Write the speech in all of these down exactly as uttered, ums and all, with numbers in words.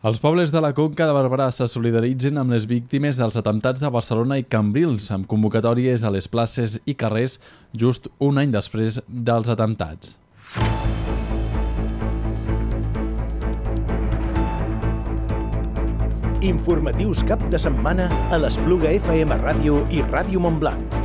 Els pobles de la Conca de Barberà se solidaritzen amb les víctimes dels atemptats de Barcelona i Cambrils, amb convocatòries a les places i carrers just un any després dels atemptats. Informatius cap de setmana a l'Espluga F M Ràdio i Ràdio Montblanc.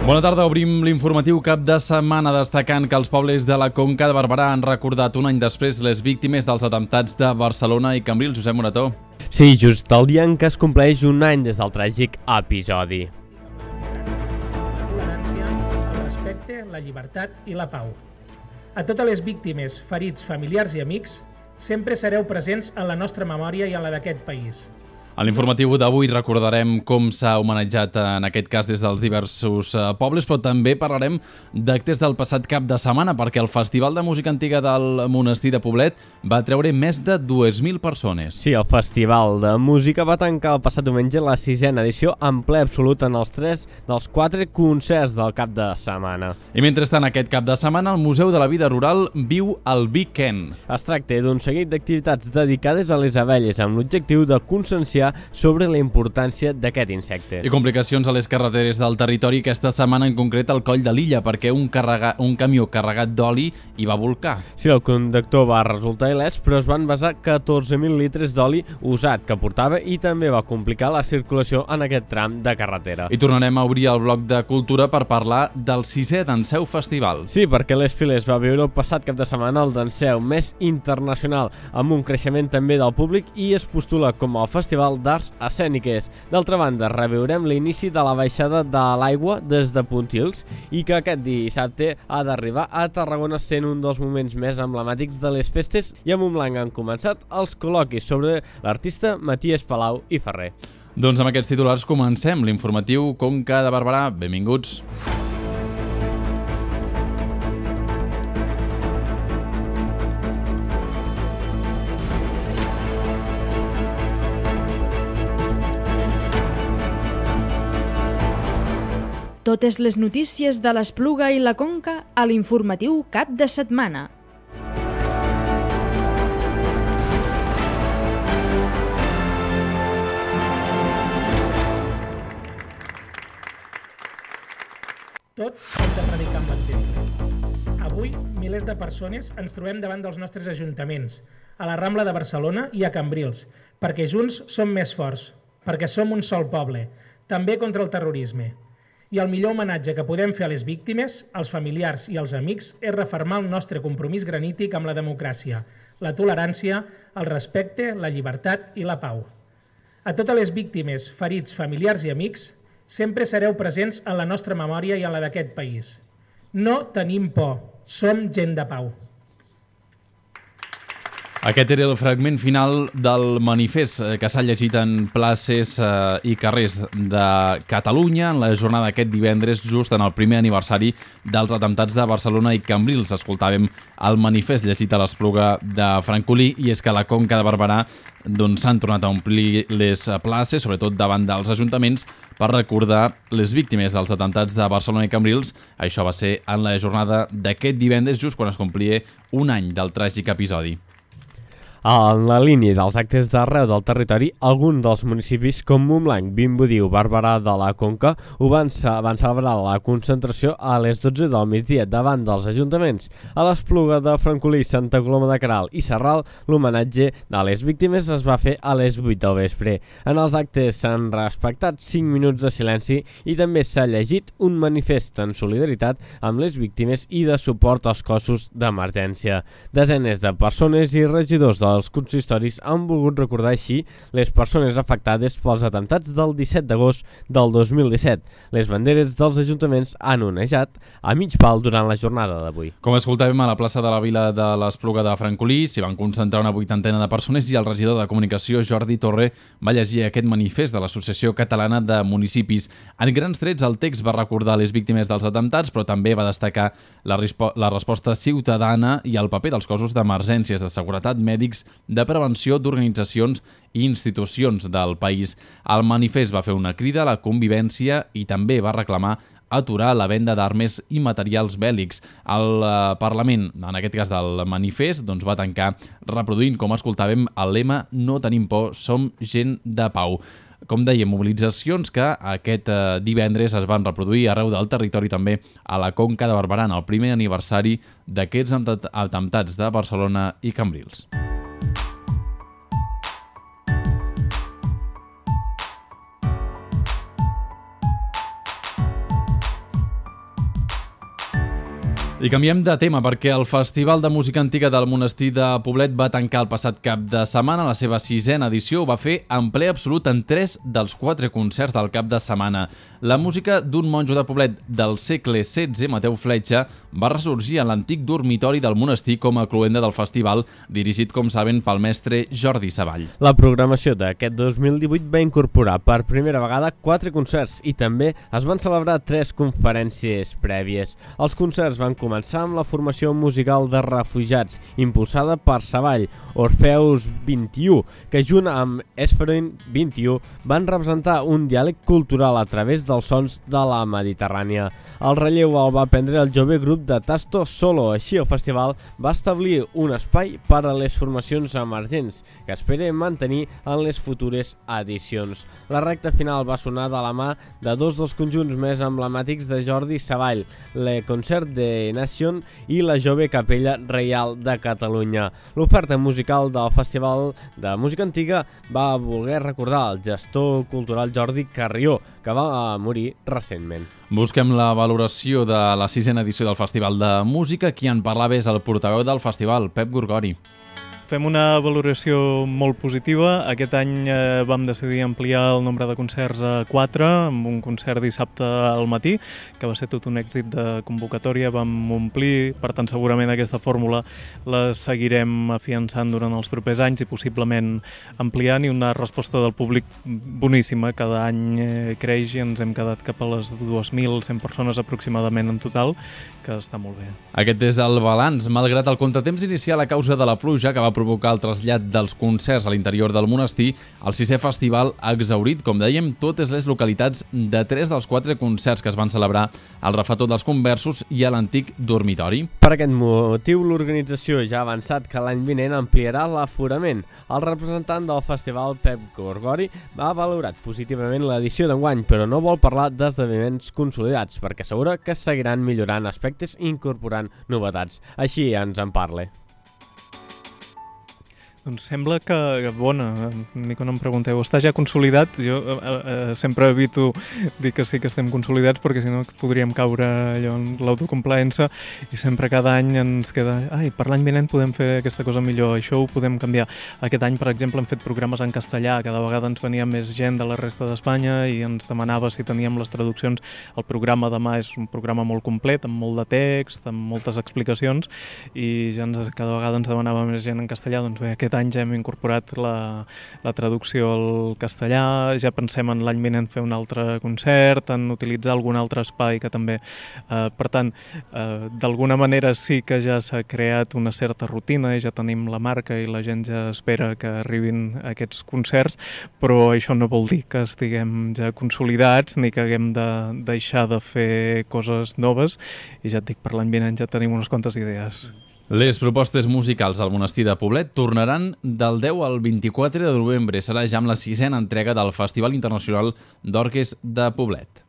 Bona tarda, obrim l'informatiu cap de setmana destacant que els pobles de la Conca de Barberà han recordat un any després les víctimes dels atemptats de Barcelona i Cambrils. Josep Morató. Sí, just el dia en què es compleix un any des del tràgic episodi. La tolerància, el respecte, la llibertat i la pau. A totes les víctimes, ferits, familiars i amics, sempre sereu presents en la nostra memòria i en la d'aquest país. A l'informatiu d'avui recordarem com s'ha homenatjat en aquest cas des dels diversos pobles, però també parlarem d'actes del passat cap de setmana, perquè el Festival de Música Antiga del Monestir de Poblet va treure més de dues mil persones. Sí, el Festival de Música va tancar el passat diumenge la sisena edició en ple absolut en els tres dels quatre concerts del cap de setmana. I mentrestant, aquest cap de setmana, el Museu de la Vida Rural viu el Weekend. Es tracta d'un seguit d'activitats dedicades a les abelles amb l'objectiu de conscienciar sobre la importància d'aquest insecte. I complicacions a les carreteres del territori aquesta setmana, en concret al Coll de l'Illa, perquè un, carrega, un camió carregat d'oli hi va volcar. Sí, el conductor va resultar il·lès, però es van vessar catorze mil litres d'oli usat que portava i també va complicar la circulació en aquest tram de carretera. I tornarem a obrir el bloc de cultura per parlar del sisè Danseu Festival. Sí, perquè l'Es Filés va viure el passat cap de setmana el Danseu més internacional, amb un creixement també del públic i es postula com el festival d'arts escèniques. D'altra banda, reviurem l'inici de la baixada de l'aigua des de Pontils i que aquest dissabte ha d'arribar a Tarragona, sent un dels moments més emblemàtics de les festes, i a Montblanc han començat els col·loquis sobre l'artista Matías Palau i Ferrer. Doncs amb aquests titulars comencem l'informatiu Conca de Barberà. Benvinguts. Totes les notícies de l'Espluga i la Conca a l'informatiu cap de setmana. Tots hem de predicar amb l'exemple. Avui, milers de persones ens trobem davant dels nostres ajuntaments, a la Rambla de Barcelona i a Cambrils, perquè junts som més forts, perquè som un sol poble, també contra el terrorisme. I el millor homenatge que podem fer a les víctimes, als familiars i als amics, és refermar el nostre compromís granític amb la democràcia, la tolerància, el respecte, la llibertat i la pau. A totes les víctimes, ferits, familiars i amics, sempre sereu presents en la nostra memòria i en la d'aquest país. No tenim por, som gent de pau. Aquest era el fragment final del manifest que s'ha llegit en places eh, i carrers de Catalunya en la jornada d'aquest divendres, just en el primer aniversari dels atemptats de Barcelona i Cambrils. Escoltàvem el manifest llegit a l'Espluga de Francolí, i és que a la Conca de Barberà doncs, s'han tornat a omplir les places, sobretot davant dels ajuntaments, per recordar les víctimes dels atemptats de Barcelona i Cambrils. Això va ser en la jornada d'aquest divendres, just quan es complia un any del tràgic episodi. En la línia dels actes d'arreu del territori, alguns dels municipis com Montblanc, Vimbodí o Barberà de la Conca ho van, van celebrar la concentració a les dotze del migdia davant dels ajuntaments. A l'Espluga de Francolí, Santa Coloma de Queralt i Sarral, l'homenatge a les víctimes es va fer a les vuit del vespre. En els actes s'han respectat cinc minuts de silenci i també s'ha llegit un manifest en solidaritat amb les víctimes i de suport als cossos d'emergència. Desenes de persones i regidors de els consistoris han volgut recordar així les persones afectades pels atemptats del disset d'agost del dos mil disset. Les banderes dels ajuntaments han onejat a mig pal durant la jornada d'avui. Com escoltàvem, a la plaça de la Vila de l'Espluga de Francolí s'hi van concentrar una vuitantena de persones i el regidor de Comunicació, Jordi Torre, va llegir aquest manifest de l'Associació Catalana de Municipis. En grans trets, el text va recordar les víctimes dels atemptats, però també va destacar la, la resposta ciutadana i el paper dels cossos d'emergències, de seguretat, mèdics bàsics de prevenció d'organitzacions i institucions del país. El manifest va fer una crida a la convivència i també va reclamar aturar la venda d'armes i materials bèl·lics. El eh, Parlament, en aquest cas del manifest, doncs va tancar reproduint, com escoltàvem, el lema "No tenim por, som gent de pau". Com dèiem, mobilitzacions que aquest eh, divendres es van reproduir arreu del territori, també a la Conca de Barberà, en el primer aniversari d'aquests atemptats de Barcelona i Cambrils. I canviem de tema perquè el Festival de Música Antiga del Monestir de Poblet va tancar el passat cap de setmana. La seva sisena edició ho va fer en ple absolut en tres dels quatre concerts del cap de setmana. La música d'un monjo de Poblet del segle setze, Mateu Fletxa, va ressorgir en l'antic dormitori del monestir com a cloenda del festival, dirigit, com saben, pel mestre Jordi Savall. La programació d'aquest dos mil divuit va incorporar per primera vegada quatre concerts i també es van celebrar tres conferències prèvies. Els concerts van començar començar amb la formació musical de refugiats, impulsada per Savall, Orfeus vint-i-u, que junt amb Esferoin vint-i-u van representar un diàleg cultural a través dels sons de la Mediterrània. El relleu el va prendre el jove grup de Tasto Solo. Així, el festival va establir un espai per a les formacions emergents, que espera mantenir en les futures edicions. La recta final va sonar de la mà de dos dels conjunts més emblemàtics de Jordi Savall, le Concert de Nation i la Jove Capella Reial de Catalunya. L'oferta musical del Festival de Música Antiga va voler recordar el gestor cultural Jordi Carrió, que va morir recentment. Busquem la valoració de la sisena edició del Festival de Música. Qui en parlava és el portaveu del festival, Pep Gorgori. Fem una valoració molt positiva. Aquest any eh, vam decidir ampliar el nombre de concerts a quatre, amb un concert dissabte al matí, que va ser tot un èxit de convocatòria, vam omplir, per tant segurament aquesta fórmula la seguirem afiançant durant els propers anys i possiblement ampliant, i una resposta del públic boníssima. Cada any eh, creix i ens hem quedat cap a les dues mil cent persones aproximadament en total, que està molt bé. Aquest és el balanç. Malgrat el contratemps inicial a causa de la pluja que va provocar el trasllat dels concerts a l'interior del monestir, el sisè festival ha exhaurit, com dèiem, totes les localitats de tres dels quatre concerts que es van celebrar al Refetor dels Conversos i a l'antic dormitori. Per aquest motiu, l'organització ja ha avançat que l'any vinent ampliarà l'aforament. El representant del festival, Pep Gorgori, ha valorat positivament l'edició d'enguany, però no vol parlar d'esdeveniments consolidats, perquè assegura que seguiran millorant aspectes i incorporant novetats. Així ens en parla. Doncs sembla que, bona, ni que no em pregunteu, està ja consolidat? Jo eh, eh, sempre evito dir que sí que estem consolidats, perquè si no podríem caure allò en l'autocomplaença, i sempre cada any ens queda, ai, per l'any vinent podem fer aquesta cosa millor, això ho podem canviar. Aquest any, per exemple, hem fet programes en castellà, cada vegada ens venia més gent de la resta d'Espanya i ens demanava si teníem les traduccions. El programa demà és un programa molt complet, amb molt de text, amb moltes explicacions, i ja ens, cada vegada ens demanava més gent en castellà. Doncs bé, aquest any ja hem incorporat la, la traducció al castellà, ja pensem en l'any vinent fer un altre concert, en utilitzar algun altre espai que també... Eh, per tant, eh, d'alguna manera sí que ja s'ha creat una certa rutina i ja tenim la marca i la gent ja espera que arribin aquests concerts, però això no vol dir que estiguem ja consolidats ni que haguem de deixar de fer coses noves, i ja et dic, per l'any vinent ja tenim unes quantes idees. Les propostes musicals al monestir de Poblet tornaran del deu al vint-i-quatre de novembre. Serà ja amb la sisena entrega del Festival Internacional d'Orques de Poblet.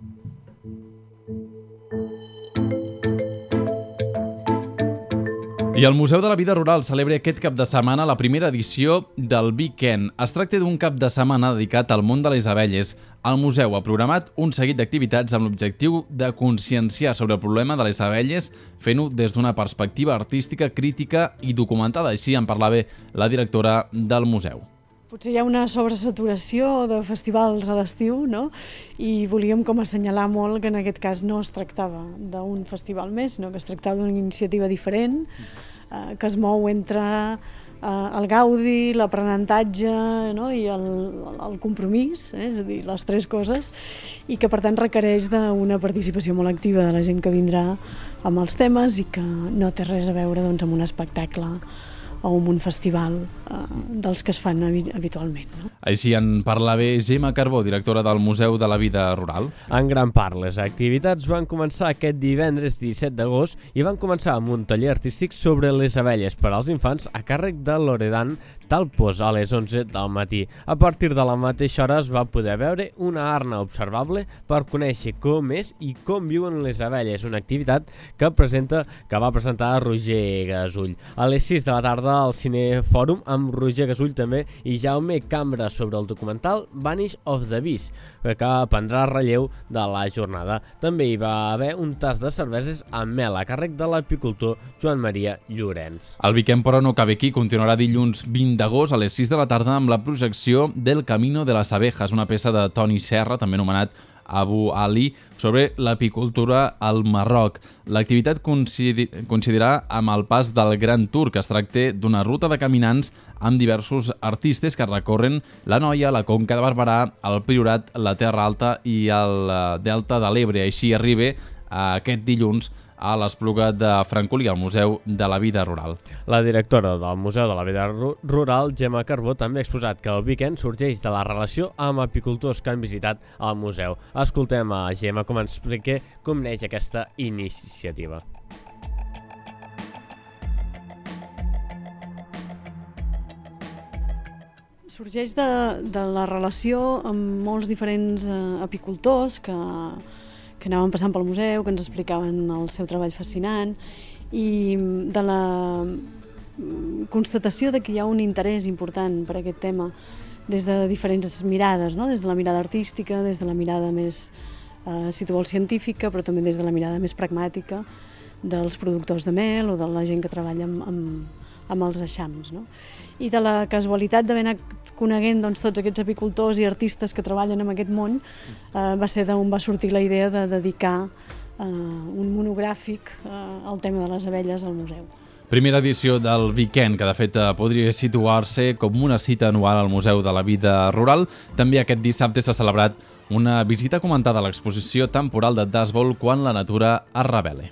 I el Museu de la Vida Rural celebra aquest cap de setmana la primera edició del Weekend. Es tracta d'un cap de setmana dedicat al món de les abelles. El museu ha programat un seguit d'activitats amb l'objectiu de conscienciar sobre el problema de les abelles, fent-ho des d'una perspectiva artística, crítica i documentada. Així en parlava la directora del museu. Potser hi ha una sobresaturació de festivals a l'estiu, no? I volíem com assenyalar molt que en aquest cas no es tractava d'un festival més, sinó que es tractava d'una iniciativa diferent, eh, que es mou entre eh, el gaudi, l'aprenentatge, no? I el, el compromís, eh? És a dir, les tres coses, i que per tant requereix d'una participació molt activa de la gent que vindrà amb els temes i que no té res a veure doncs, amb un espectacle o en un festival eh, dels que es fan habitualment. No? Així en parla bé Gemma Carbó, directora del Museu de la Vida Rural. En gran part, les activitats van començar aquest divendres disset d'agost i van començar amb un taller artístic sobre les abelles per als infants a càrrec de Loredan Talpos a les onze del matí. A partir de la mateixa hora es va poder veure una arna observable per conèixer com és i com viuen les abelles, una activitat que presenta que va presentar Roger Gasull. A les sis de la tarda al Cinefòrum amb Roger Gasull també i Jaume Cambra sobre el documental Vanish of the Beast, que prendrà relleu de la jornada. També hi va haver un tas de cerveses amb mel a càrrec de l'apicultor Joan Maria Llorenç. El weekend, però, no cabe aquí. Continuarà dilluns vint d'agost a les sis de la tarda amb la projecció del Camino de las Abejas, una peça de Toni Serra, també anomenat Abu Ali, sobre l'apicultura al Marroc. L'activitat coincidirà amb el pas del Gran Tour, que es tracta d'una ruta de caminants amb diversos artistes que recorren la Noia, la Conca de Barberà, el Priorat, la Terra Alta i el Delta de l'Ebre. Així arriba aquest dilluns a l'Espluga de Francolí, al Museu de la Vida Rural. La directora del Museu de la Vida Rural, Gemma Carbó, també ha exposat que el weekend sorgeix de la relació amb apicultors que han visitat el museu. Escoltem a Gemma com ens explica com neix aquesta iniciativa. Sorgeix de, de la relació amb molts diferents eh, apicultors que que anaven passant pel museu, que ens explicaven el seu treball fascinant i de la constatació de que hi ha un interès important per aquest tema des de diferents mirades, no? Des de la mirada artística, des de la mirada més, eh, si tu vols, científica, però també des de la mirada més pragmàtica dels productors de mel o de la gent que treballa amb, amb, amb els eixams. No? I de la casualitat d'haver anat coneguent doncs, tots aquests apicultors i artistes que treballen en aquest món, eh, va ser d'on va sortir la idea de dedicar eh, un monogràfic eh, al tema de les abelles al museu. Primera edició del weekend, que de fet podria situar-se com una cita anual al Museu de la Vida Rural. També aquest dissabte s'ha celebrat una visita comentada a l'exposició temporal de Dasbol quan la natura es revele.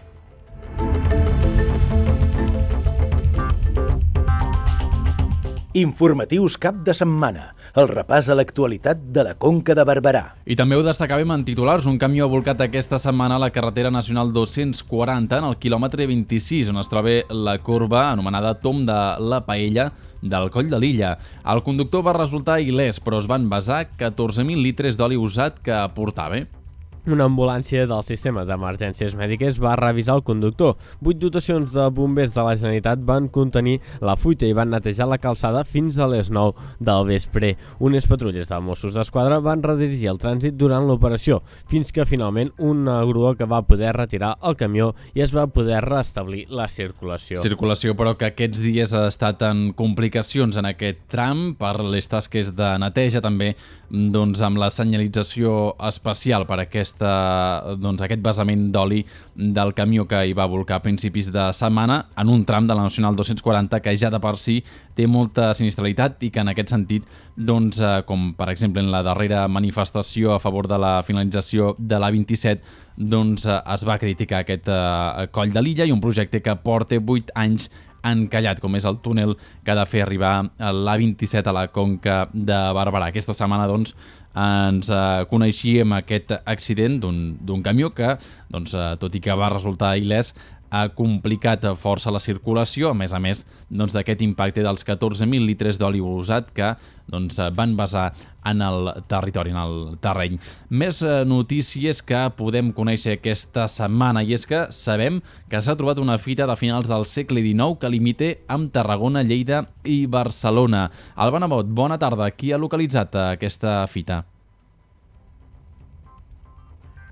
Informatius cap de setmana, el repàs a l'actualitat de la Conca de Barberà. I també ho destacàvem en titulars. Un camió ha volcat aquesta setmana a la carretera nacional dos-cents quaranta en el quilòmetre vint-i-sis, on es troba la corba anomenada Tom de la Paella del Coll de l'Illa. El conductor va resultar il·lès, però es van vessar catorze mil litres d'oli usat que portava. Una ambulància del sistema d'emergències mèdiques va revisar el conductor. Vuit dotacions de bombers de la Generalitat van contenir la fuita i van netejar la calçada fins a les nou del vespre. Unes patrulles de Mossos d'Esquadra van redirigir el trànsit durant l'operació, fins que finalment una grua que va poder retirar el camió i es va poder restablir la circulació. Circulació, però, que aquests dies ha estat en complicacions en aquest tram per les tasques de neteja, també doncs, amb la senyalització especial per aquest Doncs, aquest vessament d'oli del camió que hi va volcar a principis de setmana en un tram de la Nacional dos-cents quaranta que ja de per si té molta sinistralitat i que en aquest sentit, doncs, com per exemple en la darrera manifestació a favor de la finalització de l'A vint-i-set, doncs, es va criticar aquest uh, Coll de l'Illa i un projecte que porta vuit anys encallat, com és el túnel que ha de fer arribar l'A vint-i-set a la Conca de Barberà. Aquesta setmana, doncs, ens eh, coneixíem aquest accident d'un camió que, doncs, eh, tot i que va resultar il·lès, ha complicat força la circulació, a més a més doncs, d'aquest impacte dels catorze mil litres d'oli usat que doncs, van vessar en el territori, en el terreny. Més eh, notícies que podem conèixer aquesta setmana, i és que sabem que s'ha trobat una fita de finals del segle dinou que limita amb Tarragona, Lleida i Barcelona. Alba Nebot, bona tarda. Qui ha localitzat aquesta fita?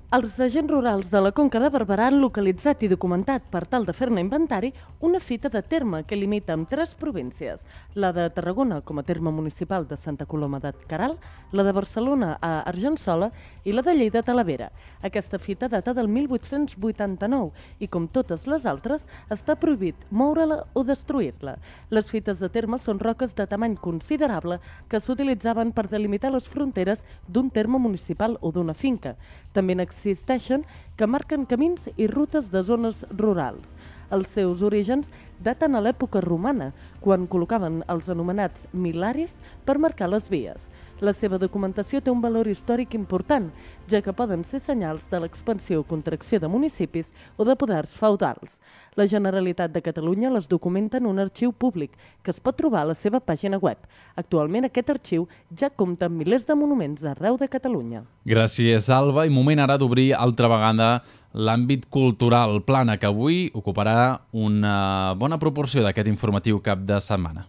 Els agents rurals de la Conca de Barberà han localitzat i documentat, per tal de fer-ne inventari, una fita de terme que limita amb tres províncies, la de Tarragona com a terme municipal de Santa Coloma de Queralt, la de Barcelona a Argençola i la de Lleida a Talavera. Aquesta fita data del mil vuit-cents vuitanta-nou i, com totes les altres, està prohibit moure-la o destruir-la. Les fites de terme són roques de tamany considerable que s'utilitzaven per delimitar les fronteres d'un terme municipal o d'una finca. També n'existeixen que marquen camins i rutes de zones rurals. Els seus orígens daten a l'època romana, quan col·locaven els anomenats milaris per marcar les vies. La seva documentació té un valor històric important, ja que poden ser senyals de l'expansió o contracció de municipis o de poders feudals. La Generalitat de Catalunya les documenta en un arxiu públic, que es pot trobar a la seva pàgina web. Actualment aquest arxiu ja compta amb milers de monuments arreu de Catalunya. Gràcies, Alba. I moment ara d'obrir altra vegada l'àmbit cultural, plana que avui ocuparà una bona proporció d'aquest informatiu cap de setmana.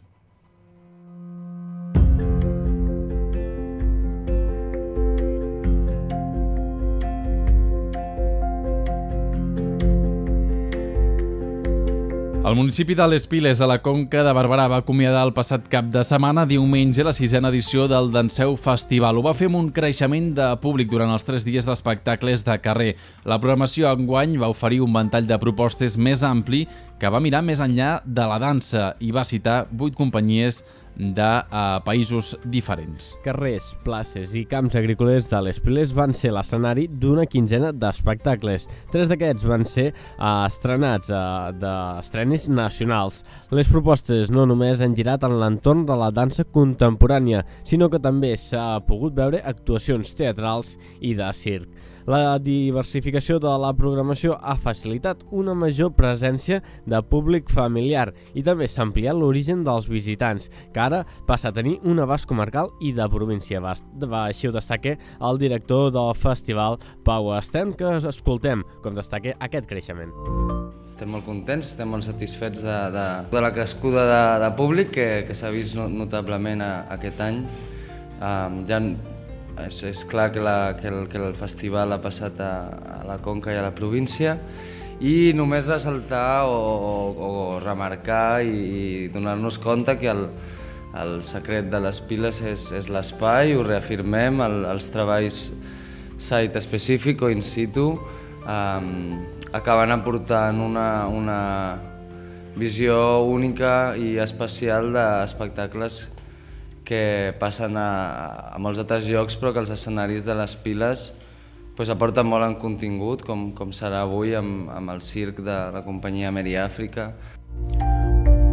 El municipi de Les Piles, a la Conca de Barberà, va acomiadar el passat cap de setmana, diumenge, la sisena edició del Danseu Festival. Ho va fer amb un creixement de públic durant els tres dies d'espectacles de carrer. La programació enguany va oferir un ventall de propostes més ampli que va mirar més enllà de la dansa i va citar vuit companyies de uh, països diferents. Carrers, places i camps agrícoles de Les Piles van ser l'escenari d'una quinzena d'espectacles. Tres d'aquests van ser uh, estrenats uh, d'estrenis nacionals. Les propostes no només han girat en l'entorn de la dansa contemporània, sinó que també s'ha pogut veure actuacions teatrals i de circ. La diversificació de la programació ha facilitat una major presència de públic familiar i també s'ha ampliat l'origen dels visitants, que ara passa a tenir un abast comarcal i de província. Va, així ho destaca el director del festival, Pau Estem, que escoltem com destaca aquest creixement. Estem molt contents, estem molt satisfets de, de, de la crescuda de, de públic que, que s'ha vist notablement a, aquest any. Um, ja És, és clar que, la, que, el, que el festival ha passat a, a la Conca i a la província i només ressaltar o, o, o remarcar i, i donar-nos compte que el, el secret de les Piles és, és l'espai, ho reafirmem, el, els treballs site específic o in situ um, acaben aportant una, una visió única i especial d'espectacles que passen a, a molts altres llocs, però que els escenaris de les Piles pues, aporten molt en contingut, com, com serà avui amb, amb el circ de la companyia Meri Àfrica.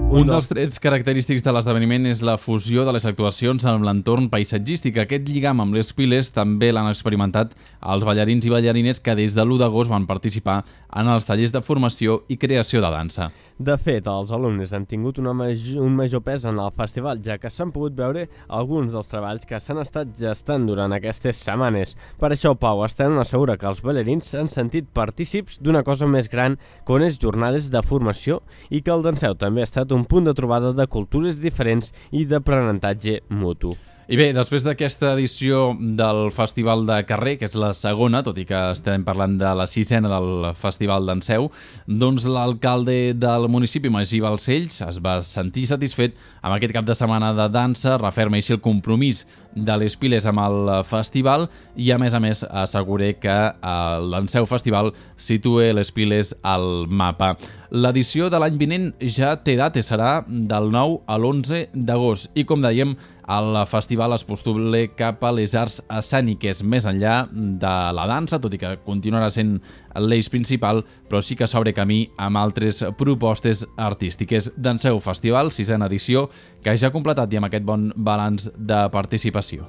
Un dels trets característics de l'esdeveniment és la fusió de les actuacions amb l'entorn paisatgístic. Aquest lligam amb les Piles també l'han experimentat els ballarins i ballarines que des de l'u d'agost van participar en els tallers de formació i creació de dansa. De fet, els alumnes han tingut una major, un major pes en el festival, ja que s'han pogut veure alguns dels treballs que s'han estat gestant durant aquestes setmanes. Per això, Pau Estem assegura que els ballarins s'han sentit partícips d'una cosa més gran que unes jornades de formació i que el Danseu també ha estat un punt de trobada de cultures diferents i d'aprenentatge mutu. I bé, després d'aquesta edició del Festival de Carrer, que és la segona, tot i que estem parlant de la sisena del Festival Danseu, doncs l'alcalde del municipi, Magí Balcells, es va sentir satisfet amb aquest cap de setmana de dansa, referma així el compromís de les Piles amb el festival i, a més a més, assegura que el Danseu Festival situa les Piles al mapa. L'edició de l'any vinent ja té data, serà del nou a l'onze d'agost i, com dèiem, el festival es postula cap a les arts escèniques, més enllà de la dansa, tot i que continuarà sent l'eix principal, però sí que s'obre camí amb altres propostes artístiques. Danseu Festival, sisena edició, que ja ha completat i amb aquest bon balanç de participació.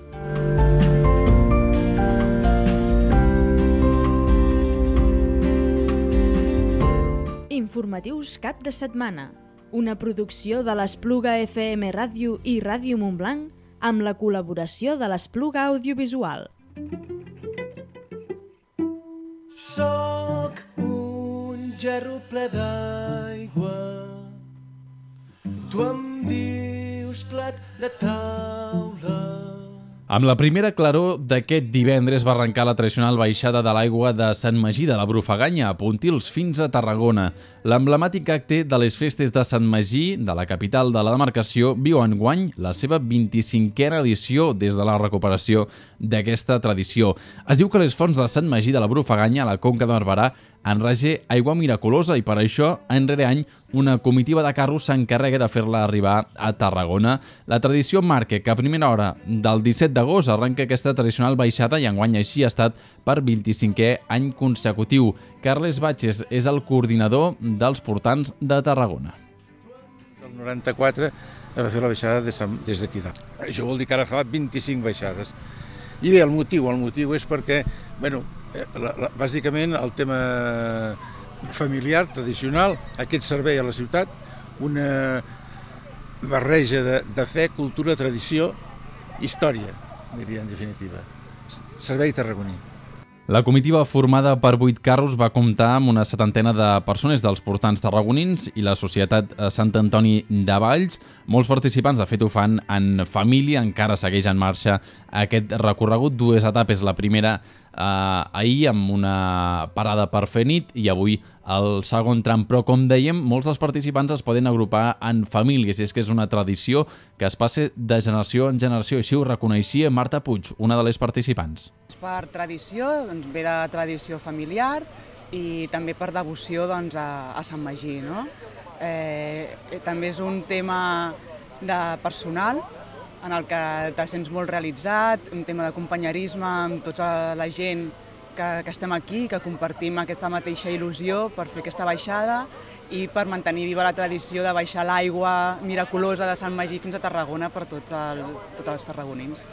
Informatius cap de setmana. Una producció de l'Espluga F M Ràdio i Ràdio Montblanc amb la col·laboració de l'Espluga Audiovisual. Soc un gerro ple d'aigua, tu em dius plat de taula. Amb la primera claror d'aquest divendres va arrencar la tradicional baixada de l'aigua de Sant Magí de la Brufaganya, a Pontils fins a Tarragona. L'emblemàtic acte de les festes de Sant Magí, de la capital de la demarcació, viu enguany la seva vint-i-cinquena edició des de la recuperació d'aquesta tradició. Es diu que les fonts de Sant Magí de la Brufaganya, a la Conca de Barberà, enrage aigua miraculosa i per això, any rere any, una comitiva de carros s'encarrega de fer-la arribar a Tarragona. La tradició marca que a primera hora del disset d'agost arrenca aquesta tradicional baixada i enguany així ha estat per vint-i-cinquè any consecutiu. Carles Batges és el coordinador dels portants de Tarragona. El noranta-quatre es va fer la baixada des d'aquí dalt. Això vol dir que ara fa vint-i-cinc baixades. I bé, el motiu, el motiu és perquè, bueno, la, la, bàsicament el tema familiar, tradicional, aquest servei a la ciutat, una barreja de, de fe, cultura, tradició, història, diria en definitiva. Servei tarragoní. La comitiva formada per vuit carros va comptar amb una setantena de persones dels portants tarragonins i la Societat Sant Antoni de Valls. Molts participants, de fet, ho fan en família, encara segueix en marxa aquest recorregut. Dues etapes, la primera eh, ahir amb una parada per fer nit i avui el segon tram. Però, com dèiem, molts dels participants es poden agrupar en famílies i és que és una tradició que es passa de generació en generació. Així ho reconeixia Marta Puig, una de les participants. Per tradició, doncs, ve de tradició familiar i també per devoció doncs, a, a Sant Magí. No? Eh, també és un tema de personal en el que te sents molt realitzat, un tema de companyerisme amb tota la gent que, que estem aquí, que compartim aquesta mateixa il·lusió per fer aquesta baixada i per mantenir viva la tradició de baixar l'aigua miraculosa de Sant Magí fins a Tarragona per tots, el, tots els tarragonins.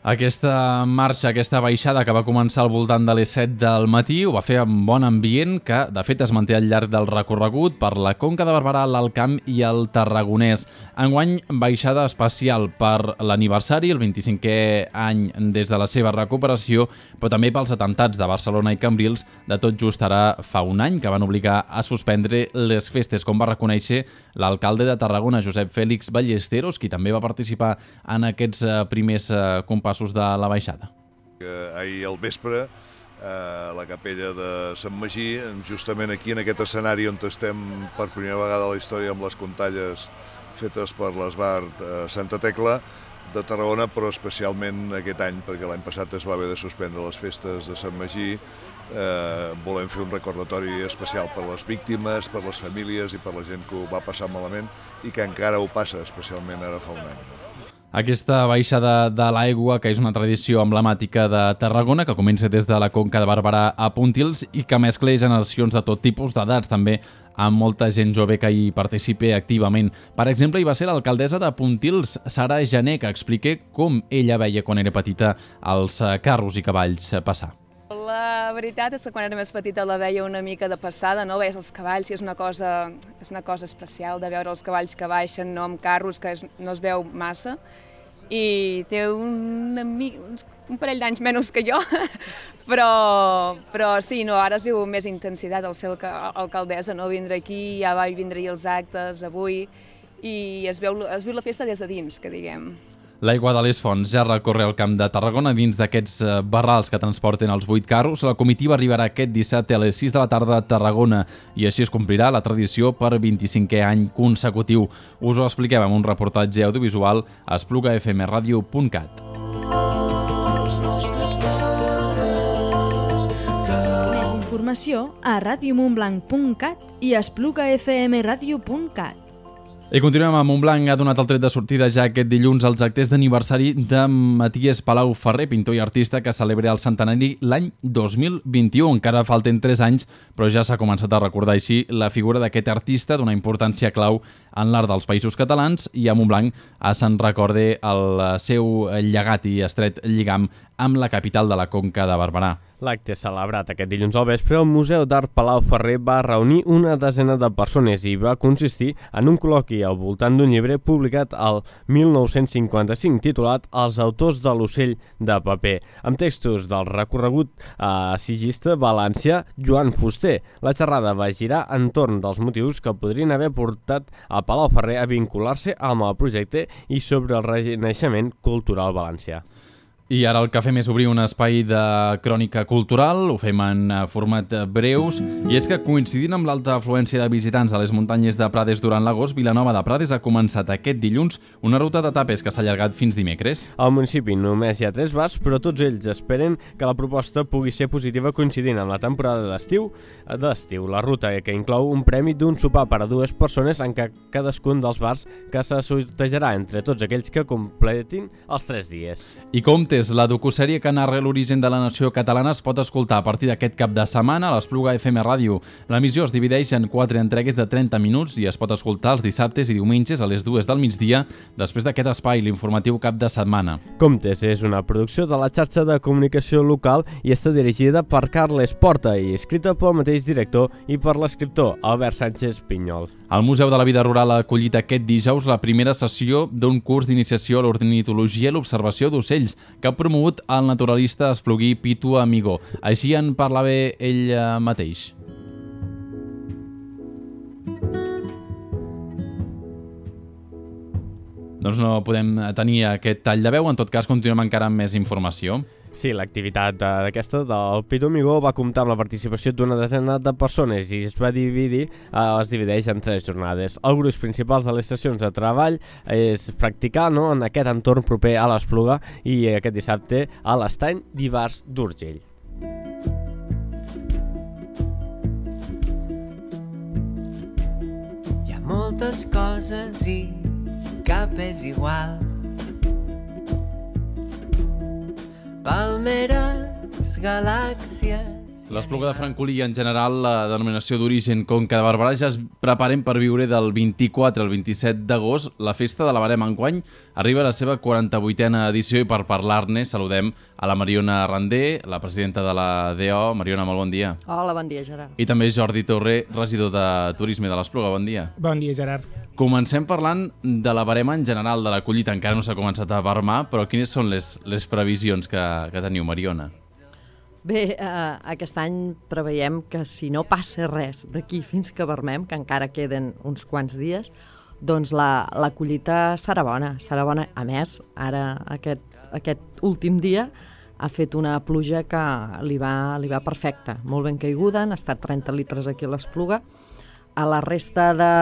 Aquesta marxa, aquesta baixada que va començar al voltant de les set del matí ho va fer amb bon ambient que, de fet, es manté al llarg del recorregut per la Conca de Barberà, l'Alt Camp i el Tarragonès. Enguany, baixada especial per l'aniversari, el vint-i-cinquè any des de la seva recuperació, però també pels atemptats de Barcelona i Cambrils, de tot just ara fa un any, que van obligar a suspendre les festes, com va reconèixer l'alcalde de Tarragona, Josep Fèlix Ballesteros, qui també va participar en aquests primers compassos de la baixada. Ahir al vespre, a la capella de Sant Magí, justament aquí en aquest escenari on estem per primera vegada a la història amb les contalles fetes per l'Esbart Santa Tecla de Tarragona, però especialment aquest any, perquè l'any passat es va haver de suspendre les festes de Sant Magí. Eh, volem fer un recordatori especial per les víctimes, per les famílies i per la gent que ho va passar malament i que encara ho passa, especialment ara fa un any. Aquesta baixada de l'aigua, que és una tradició emblemàtica de Tarragona, que comença des de la Conca de Barberà a Pontils i que mescla generacions de tot tipus d'edats, també amb molta gent jove que hi participa activament. Per exemple, hi va ser l'alcaldessa de Pontils, Sara Jané, que explica com ella veia quan era petita els carros i cavalls passar. La veritat és que quan era més petita la veia una mica de passada, no? Veies els cavalls i és una cosa, és una cosa especial de veure els cavalls que baixen, no amb carros, que es, no es veu massa, i té un, un parell d'anys menys que jo, però, però sí, no, ara es viu més intensitat al ser alcaldessa, no? Vindre aquí, ja va vindre-hi els actes avui, i es, veu, es viu la festa des de dins, que diguem. L'aigua de les fonts ja recorre el Camp de Tarragona dins d'aquests barrals que transporten els vuit carros. La comitiva arribarà aquest dissabte a les sis de la tarda a Tarragona i així es complirà la tradició per vint-i-cinquè any consecutiu. Us ho expliquem amb un reportatge audiovisual a espluga f m radio punt cat. Més informació a radio montblanc punt cat i espluga f m radio punt cat. I continuem amb Montblanc. Ha donat el tret de sortida ja aquest dilluns als actes d'aniversari de Maties Palau Ferrer, pintor i artista que celebra el centenari l'any dos mil vint-i-u. Encara falten tres anys, però ja s'ha començat a recordar així la figura d'aquest artista d'una importància clau en l'art dels Països Catalans i a Montblanc se'n recorda el seu llegat i estret lligam amb la capital de la Conca de Barberà. L'acte celebrat aquest dilluns al vespre al Museu d'Art Palau Ferrer va reunir una desena de persones i va consistir en un col·loqui al voltant d'un llibre publicat al mil nou-cents cinquanta-cinc titulat Els autors de l'ocell de paper, amb textos del recorregut assagista valencià Joan Fuster. La xerrada va girar entorn dels motius que podrien haver portat a Palau Ferrer a vincular-se amb el projecte i sobre el renaixement cultural valencià. I ara el que fem és obrir un espai de crònica cultural, ho fem en format breus, i és que coincidint amb l'alta afluència de visitants a les muntanyes de Prades durant l'agost, Vilanova de Prades ha començat aquest dilluns una ruta de tapes que s'ha allargat fins dimecres. Al municipi només hi ha tres bars, però tots ells esperen que la proposta pugui ser positiva coincidint amb la temporada d'estiu. d'estiu. La ruta que inclou un premi d'un sopar per a dues persones en què cadascun dels bars que se sortejarà entre tots aquells que completin els tres dies. I Comptes, la docusèrie que narra l'origen de la nació catalana, es pot escoltar a partir d'aquest cap de setmana a l'Espluga F M Ràdio. L'emissió es divideix en quatre entregues de trenta minuts i es pot escoltar els dissabtes i diumenges a les dues del migdia, després d'aquest espai, l'informatiu cap de setmana. Comptes és una producció de la xarxa de comunicació local i està dirigida per Carles Porta i escrita pel mateix director i per l'escriptor Albert Sánchez Pinyol. El Museu de la Vida Rural ha acollit aquest dijous la primera sessió d'un curs d'iniciació a l'ornitologia i l'observació d'ocells que ha promogut el naturalista espluguí Pitu Amigó. Així en parlava ell mateix. Doncs no podem tenir aquest tall de veu, en tot cas continuem encara amb més informació. Sí, l'activitat d'aquesta del Pitu Amigó va comptar amb la participació d'una desena de persones i es va dividir, es divideix en tres jornades. El gruix principal de les sessions de treball és practicar no, en aquest entorn proper a l'Espluga i aquest dissabte a l'Estany d'Ivars d'Urgell. Hi ha moltes coses i cap és igual. Palmeres, galàxies... L'Espluga de Francolí i en general la denominació d'origen Conca de Barberà ja es preparen per viure del vint-i-quatre al vint-i-set d'agost. La festa de la Verema enguany arriba a la seva quaranta-vuitena edició i per parlar-ne saludem a la Mariona Randé, la presidenta de la D O. Mariona, molt bon dia. Hola, bon dia, Gerard. I també Jordi Torré, regidor de Turisme de l'Espluga. Bon dia. Bon dia, Gerard. Comencem parlant de la Verema en general, de la collita. Encara no s'ha començat a vermar, però quines són les, les previsions que, que teniu, Mariona? Bé, eh, aquest any preveiem que si no passa res d'aquí fins que vermem, que encara queden uns quants dies, doncs la, la collita serà bona, serà bona. A més, ara aquest, aquest últim dia ha fet una pluja que li va, li va perfecta, molt ben caiguda, han estat trenta litres aquí a l'Espluga. A la resta de,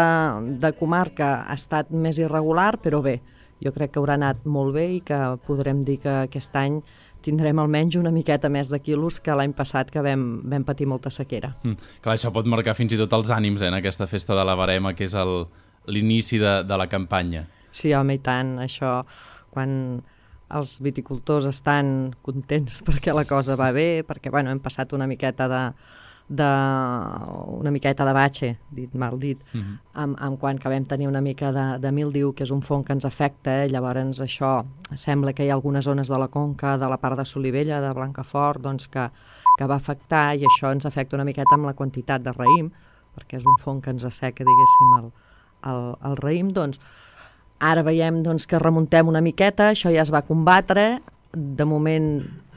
de comarca ha estat més irregular, però bé, jo crec que haurà anat molt bé i que podrem dir que aquest any tindrem almenys una miqueta més de quilos que l'any passat, que vam, vam patir molta sequera. Mm, clar, això pot marcar fins i tot els ànims eh, en aquesta festa de la Verema, que és el, l'inici de, de la campanya. Sí, home, i tant. Això, quan els viticultors estan contents perquè la cosa va bé, perquè bueno, hem passat una miqueta de... de una miqueta de batxe, dit mal dit, uh-huh. amb, amb quan que vam tenir una mica de, de mildiu, que és un fong que ens afecta, eh? Llavors això sembla que hi ha algunes zones de la conca, de la part de Solivella, de Blancafort, doncs que, que va afectar, i això ens afecta una miqueta amb la quantitat de raïm, perquè és un fong que ens asseca, diguéssim, el, el, el raïm. Doncs ara veiem doncs, que remuntem una miqueta, això ja es va combatre, de moment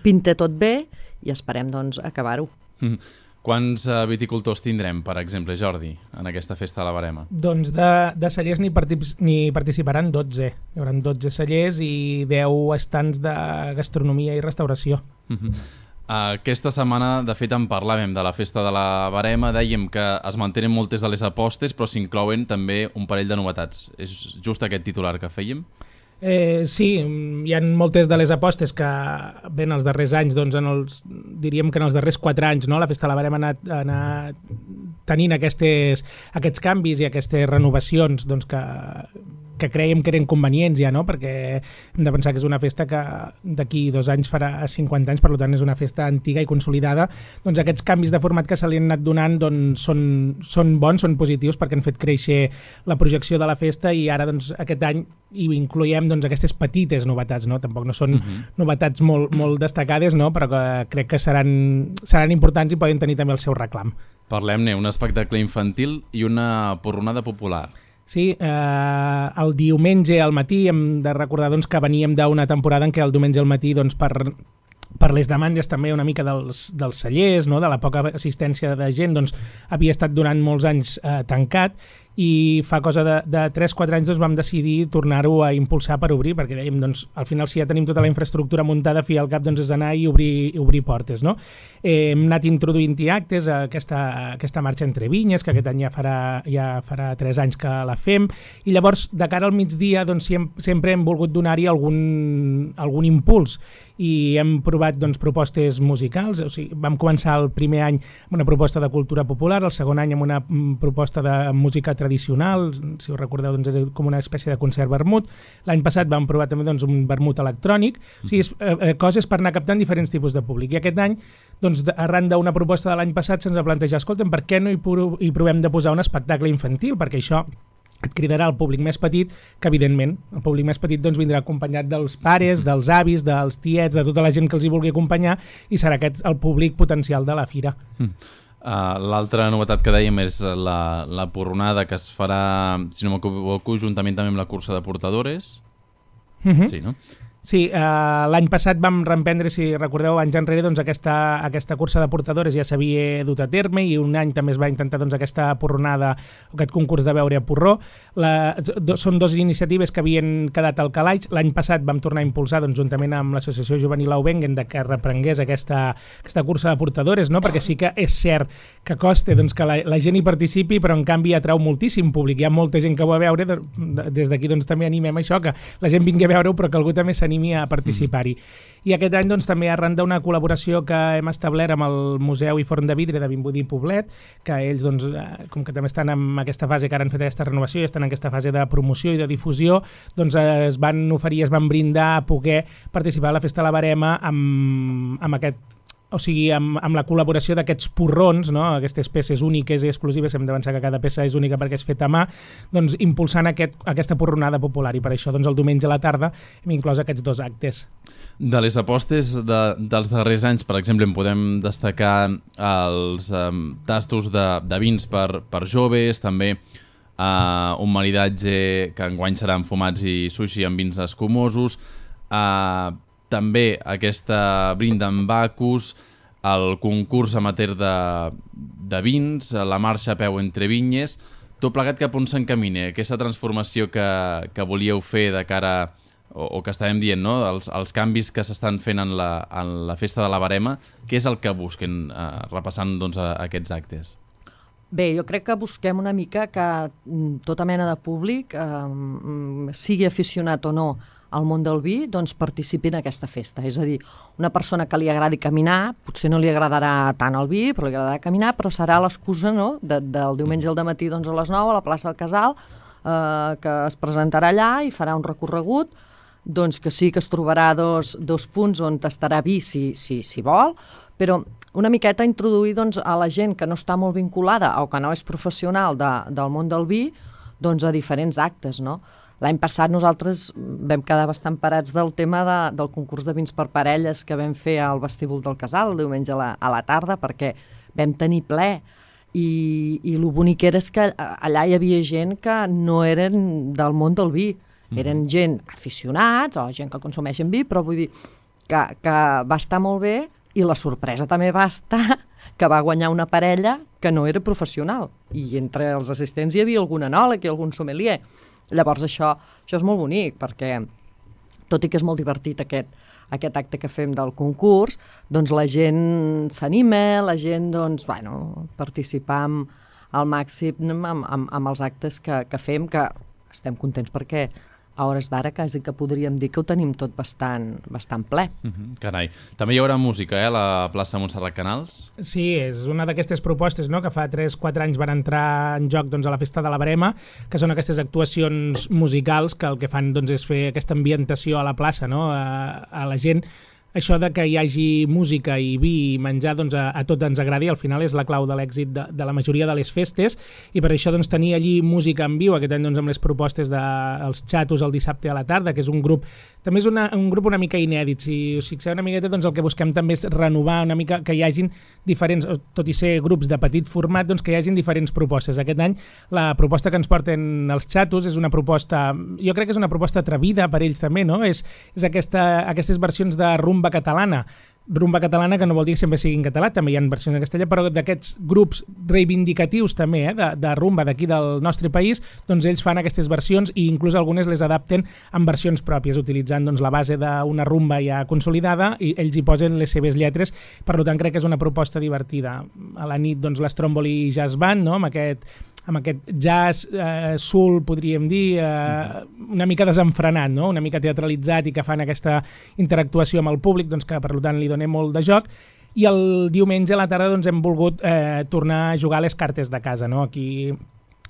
pinta tot bé i esperem doncs, acabar-ho. Uh-huh. Quants uh, viticultors tindrem, per exemple, Jordi, en aquesta festa de la Verema? Doncs de, de cellers n'hi partic participaran dotze. Hi haurà dotze cellers i deu estants de gastronomia i restauració. Uh-huh. uh, aquesta setmana, de fet, en parlàvem de la festa de la Verema, dèiem que es mantenen moltes de les apostes, però s'inclouen també un parell de novetats. És just aquest titular que fèiem? Eh, sí, hi ha moltes de les apostes que ven els darrers anys, doncs en els, diríem que en els darrers quatre anys, no? La Festa de la Verema ha anat, ha anat tenint aquestes, aquests canvis i aquestes renovacions doncs, que, que creiem que eren convenients ja, no? Perquè hem de pensar que és una festa que d'aquí dos anys farà cinquanta anys, per tant és una festa antiga i consolidada. Doncs aquests canvis de format que se li han anat donant doncs, són, són bons, són positius, perquè han fet créixer la projecció de la festa i ara doncs, aquest any hi incloiem doncs, aquestes petites novetats, no? Tampoc no són uh-huh. novetats molt, molt destacades, no? Però que crec que seran, seran importants i poden tenir també el seu reclam. Parlem-ne, un espectacle infantil i una porronada popular. Sí, eh, el diumenge al matí hem de recordar doncs, que veníem d'una temporada en què el diumenge al matí doncs, per, per les demandes també una mica dels, dels cellers, no? De la poca assistència de gent, doncs, havia estat durant molts anys eh, tancat i fa cosa de, de tres quatre anys doncs, vam decidir tornar-ho a impulsar per obrir, perquè dèiem, doncs, al final si ja tenim tota la infraestructura muntada, fi al cap doncs, és anar i obrir, i obrir portes. No? Eh, hem anat introduint-hi actes, aquesta, aquesta marxa entre vinyes, que aquest any ja farà, ja farà tres anys que la fem, i llavors de cara al migdia doncs, sempre hem volgut donar-hi algun, algun impuls, i hem provat doncs, propostes musicals. O sigui, vam començar el primer any amb una proposta de cultura popular, el segon any amb una proposta de música tradicional, si us recordeu doncs, era com una espècie de concert vermut. L'any passat vam provar també doncs, un vermut electrònic, o sigui, és, eh, coses per anar captant diferents tipus de públic. I aquest any, doncs, arran d'una proposta de l'any passat, se'ns va plantejar, escolta'm, per què no hi, hi provem de posar un espectacle infantil? Perquè això et cridarà el públic més petit, que evidentment el públic més petit doncs, vindrà acompanyat dels pares, dels avis, dels tiets, de tota la gent que els hi vulgui acompanyar, i serà aquest el públic potencial de la fira. Mm. Uh, L'altra novetat que dèiem és la, la porronada que es farà, si no m'equivoco, juntament també amb la cursa de portadores. Mm-hmm. Sí, no? Sí, eh, l'any passat vam reemprendre, si recordeu, anys enrere, doncs, aquesta, aquesta cursa de portadores ja s'havia dut a terme, i un any també es va intentar doncs, aquesta porronada, aquest concurs de beure a porró. La, do, són dues iniciatives que havien quedat al calaix. L'any passat vam tornar a impulsar, doncs, juntament amb l'Associació Juvenil Aubengen, de que reprengués aquesta, aquesta cursa de portadores, no? Perquè sí que és cert que costa doncs, que la, la gent hi participi, però en canvi atrau moltíssim públic. Hi ha molta gent que ho va veure, de, de, des d'aquí doncs, també animem això, que la gent vingui a veure-ho, però que algú també s'animi a participar-hi. I aquest any doncs, també arran d'una col·laboració que hem establert amb el Museu i Forn de Vidre de Vimbodí i Poblet, que ells, doncs, com que també estan en aquesta fase, que ara han fet aquesta renovació i estan en aquesta fase de promoció i de difusió, doncs es van oferir, es van brindar a poder participar a la Festa de la Verema amb, amb aquest o sigui, amb, amb la col·laboració d'aquests porrons, no? Aquestes peces úniques i exclusives, hem d'avançar que cada peça és única perquè és feta a mà, doncs impulsant aquest, aquesta porronada popular, i per això doncs, el diumenge a la tarda hem inclòs aquests dos actes. De les apostes de, dels darrers anys, per exemple, en podem destacar els um, tastos de, de vins per, per joves, també uh, un maridatge que enguany serà amb fumats i sushi amb vins escumosos, uh, també aquesta brinda amb Bacus, el concurs amateur de, de vins, la marxa a peu entre vinyes, tot plegat cap on s'encamina, aquesta transformació que, que volíeu fer de cara, o, o que estàvem dient, no? els, els canvis que s'estan fent en la, en la Festa de la Verema, què és el que busquen eh, repassant doncs, a, a aquests actes? Bé, jo crec que busquem una mica que tota mena de públic, eh, sigui aficionat o no al món del vi, doncs participi en aquesta festa. És a dir, una persona que li agradi caminar, potser no li agradarà tant el vi, però li agradarà caminar, però serà l'excusa, no?, de, del diumenge al dematí doncs, a les nou a la plaça del Casal, eh, que es presentarà allà i farà un recorregut, doncs que sí que es trobarà dos, dos punts on tastarà vi si, si, si vol, però una miqueta introduir doncs, a la gent que no està molt vinculada o que no és professional de, del món del vi, doncs a diferents actes, no? L'any passat nosaltres vam quedar bastant parats del tema de, del concurs de vins per parelles que vam fer al vestíbul del Casal el diumenge a la, a la tarda, perquè vam tenir ple. I, i el bonic era és que allà hi havia gent que no eren del món del vi. Eren gent aficionats o gent que consumeixen vi, però vull dir que, que va estar molt bé, i la sorpresa també va estar que va guanyar una parella que no era professional. I entre els assistents hi havia algun enòleg i algun sommelier. Llavors això, això és molt bonic, perquè tot i que és molt divertit aquest, aquest acte que fem del concurs, doncs la gent s'anima, la gent doncs, bueno, participar al màxim amb, amb, amb els actes que, que fem, que estem contents perquè a hores d'ara quasi que podríem dir que ho tenim tot bastant, bastant ple. Mm-hmm, carai. També hi haurà música, eh, a la plaça Montserrat Canals? Sí, és una d'aquestes propostes, no?, que fa tres quatre anys van entrar en joc doncs, a la Festa de la Verema, que són aquestes actuacions musicals que el que fan doncs, és fer aquesta ambientació a la plaça, no?, a, a la gent. Això de que hi hagi música i vi i menjar doncs, a, a tot ens agradi, al final és la clau de l'èxit de, de la majoria de les festes, i per això doncs, tenir allí música en viu, aquest any doncs, amb les propostes dels de, xatos el dissabte a la tarda, que és un grup, també és una, un grup una mica inèdit. Si us fixeu una miqueta, doncs, el que busquem també és renovar una mica, que hi hagin diferents, tot i ser grups de petit format, doncs, que hi hagin diferents propostes. Aquest any la proposta que ens porten els xatos és una proposta, jo crec que és una proposta atrevida per ells també, no? És, és aquesta, aquestes versions de rumba catalana, rumba catalana, que no vol dir que sempre sigui en català, també hi ha versions en castellà, però d'aquests grups reivindicatius també, eh, de, de rumba d'aquí del nostre país, doncs ells fan aquestes versions i inclús algunes les adapten en versions pròpies, utilitzant doncs, la base d'una rumba ja consolidada i ells hi posen les seves lletres, per tant crec que és una proposta divertida. A la nit doncs, l'Stromboli Jazz Band, no? amb aquest amb aquest jazz eh, soul, podríem dir, eh, una mica desenfrenat, no? Una mica teatralitzat i que fan aquesta interactuació amb el públic, doncs que per tant li donem molt de joc. I el diumenge a la tarda doncs, hem volgut eh, tornar a jugar a les cartes de casa, no? Aquí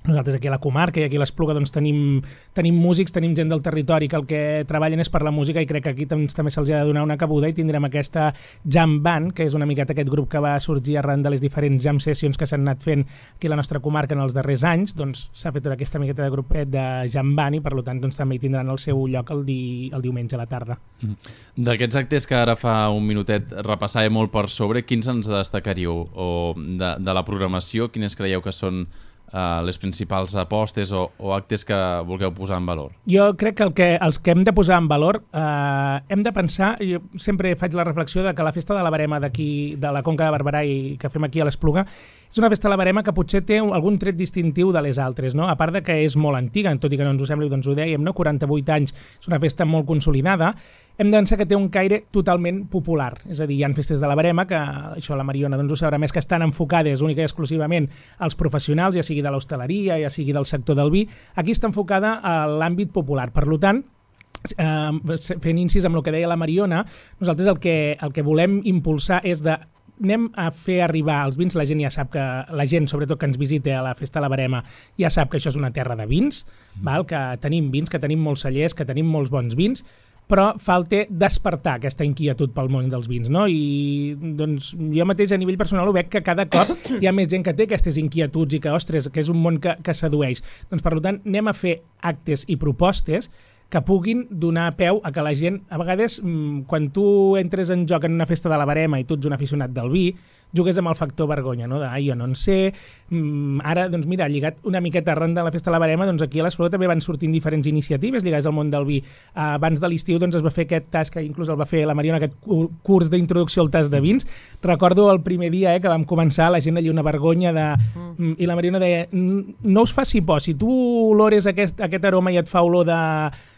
nosaltres aquí a la comarca i aquí a l'Espluga doncs, tenim, tenim músics, tenim gent del territori que el que treballen és per la música i crec que aquí doncs, també se'ls ha de donar una cabuda i tindrem aquesta jam band, que és una miqueta aquest grup que va sorgir arran de les diferents jam sessions que s'han anat fent aquí a la nostra comarca en els darrers anys, doncs s'ha fet tota aquesta miqueta de grupet de jam band i per tant doncs, també hi tindran el seu lloc el, di, el diumenge a la tarda. D'aquests actes que ara fa un minutet repassàvem molt per sobre, quins ens destacaríeu? O de, de la programació, quines creieu que són Uh, les principals apostes o, o actes que vulgueu posar en valor? Jo crec que, el que els que hem de posar en valor eh, hem de pensar, jo sempre faig la reflexió de que la festa de la Verema d'aquí, de la Conca de Barberà i que fem aquí a l'Espluga, és una festa de la Verema que potser té algun tret distintiu de les altres, no? A part de que és molt antiga, tot i que no ens ho sembli, doncs ho dèiem, no? quaranta-vuit anys, és una festa molt consolidada, hem de pensar que té un caire totalment popular, és a dir, hi ha festes de la Verema que, això la Mariona doncs ho sabrà més, que estan enfocades única i exclusivament als professionals, ja sigui de l'hostaleria, ja sigui del sector del vi, aquí està enfocada a l'àmbit popular, per tant, eh, fent incís amb el que deia la Mariona, nosaltres el que, el que volem impulsar és de anem a fer arribar els vins, la gent ja sap que, la gent sobretot que ens visita a la festa de la Verema, ja sap que això és una terra de vins, mm. val? Que tenim vins, que tenim molts cellers, que tenim molts bons vins, però falta despertar aquesta inquietud pel món dels vins, no? I doncs jo mateix a nivell personal ho veig que cada cop hi ha més gent que té aquestes inquietuds i que, ostres, que és un món que, que sedueix. Doncs per tant anem a fer actes i propostes que puguin donar peu a que la gent, a vegades, quan tu entres en joc en una festa de la Verema i tu ets un aficionat del vi, jugues amb el factor vergonya, no? De, ai, jo no en sé, mm, ara, doncs mira, lligat una miqueta arran de la festa de la Verema, doncs aquí a l'Espluga també van sortint diferents iniciatives lligades al món del vi. Uh, abans de l'estiu doncs es va fer aquest tas, que inclús el va fer la Mariona, aquest curs d'introducció al tas de vins. Recordo el primer dia eh, que vam començar, la gent allà una vergonya de... Mm. I la Mariona deia, no us faci por, si tu olores aquest, aquest aroma i et fa olor de...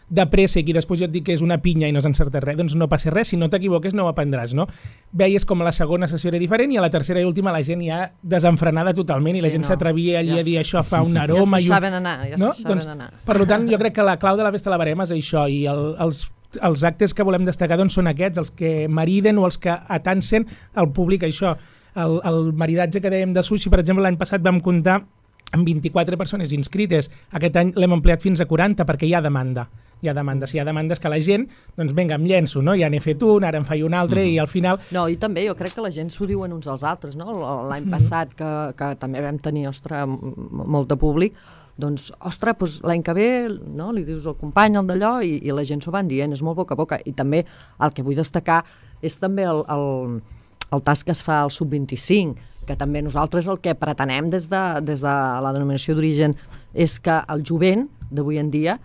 de préssec i després jo et dic que és una pinya i no has encertat res, doncs no passa res, si no t'equivoques no ho aprendràs, no? Veies com la segona sessió era diferent i a la tercera i última la gent ja desenfrenada totalment i sí, la gent no. s'atrevia allà ja a dir això fa un aroma... Ja es deixaven anar, ja es no? deixaven doncs, anar. Per tant, jo crec que la clau de la festa de la Verema és això i el, els, els actes que volem destacar doncs, són aquests, els que mariden o els que atansen al públic, això, el, el maridatge que dèiem de sushi, per exemple, l'any passat vam comptar amb vint-i-quatre persones inscrites, aquest any l'hem ampliat fins a quaranta perquè hi ha demanda. Hi ha demandes, hi ha demandes que la gent, doncs vinga, em llenço, no? Ja n'he fet un, ara en faig un altre mm-hmm. i al final... No, i també jo crec que la gent s'ho diuen uns als altres, no? L'any mm-hmm. passat que, que també vam tenir, ostres, molt de públic, doncs, ostres, doncs, l'any que ve, no? Li dius al company, el d'allò, i, i la gent s'ho van dient, és molt boca a boca. I també el que vull destacar és també el, el, el tas que es fa al sub vint-i-cinc, que també nosaltres el que pretenem des de, des de la denominació d'origen és que el jovent d'avui en dia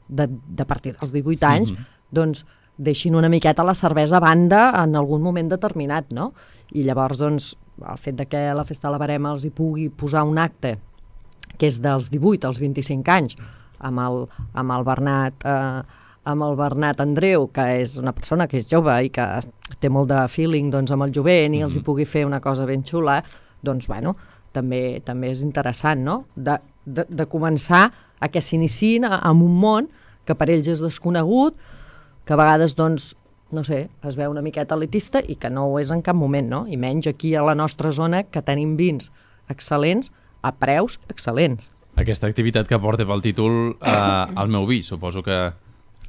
De, de partir dels divuit anys, mm-hmm. doncs deixin una miqueta la cervesa a banda en algun moment determinat, no? I llavors, doncs, el fet de que la festa de la Verema els hi pugui posar un acte que és dels divuit als vint-i-cinc anys, amb el, amb el Bernat eh, amb el Bernat Andreu, que és una persona que és jove i que té molt de feeling doncs, amb el jovent mm-hmm. i els hi pugui fer una cosa ben xula, doncs, bueno, també, també és interessant, no? De, de, de començar a que s'iniciïn en un món que per ells és desconegut, que a vegades, doncs, no sé, es veu una miqueta elitista i que no ho és en cap moment, no? I menys aquí a la nostra zona, que tenim vins excel·lents a preus excel·lents. Aquesta activitat que porta pel títol eh, El meu vi, suposo que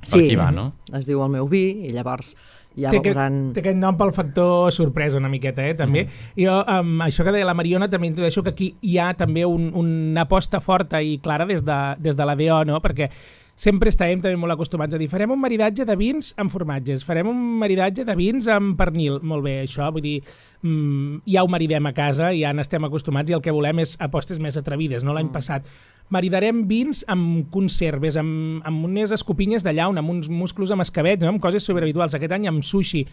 per sí, aquí va, no? Es diu El meu vi i llavors ja té veuran... Aquest, té aquest nom pel factor sorpresa una miqueta, eh, també. Mm. Jo, amb això que deia la Mariona, també introdueixo que aquí hi ha també un, una aposta forta i clara des de, des de la D O, no? Perquè sempre estàvem també molt acostumats a dir farem un maridatge de vins amb formatges, farem un maridatge de vins amb pernil. Molt bé, això, vull dir, mmm, ja ho maridem a casa, ja n'estem acostumats i el que volem és apostes més atrevides, no? L'any mm. passat maridarem vins amb conserves, amb, amb unes escopinyes de llauna, amb uns musclos amb escabets, no? Amb coses sobrehabituals. Aquest any amb sushi,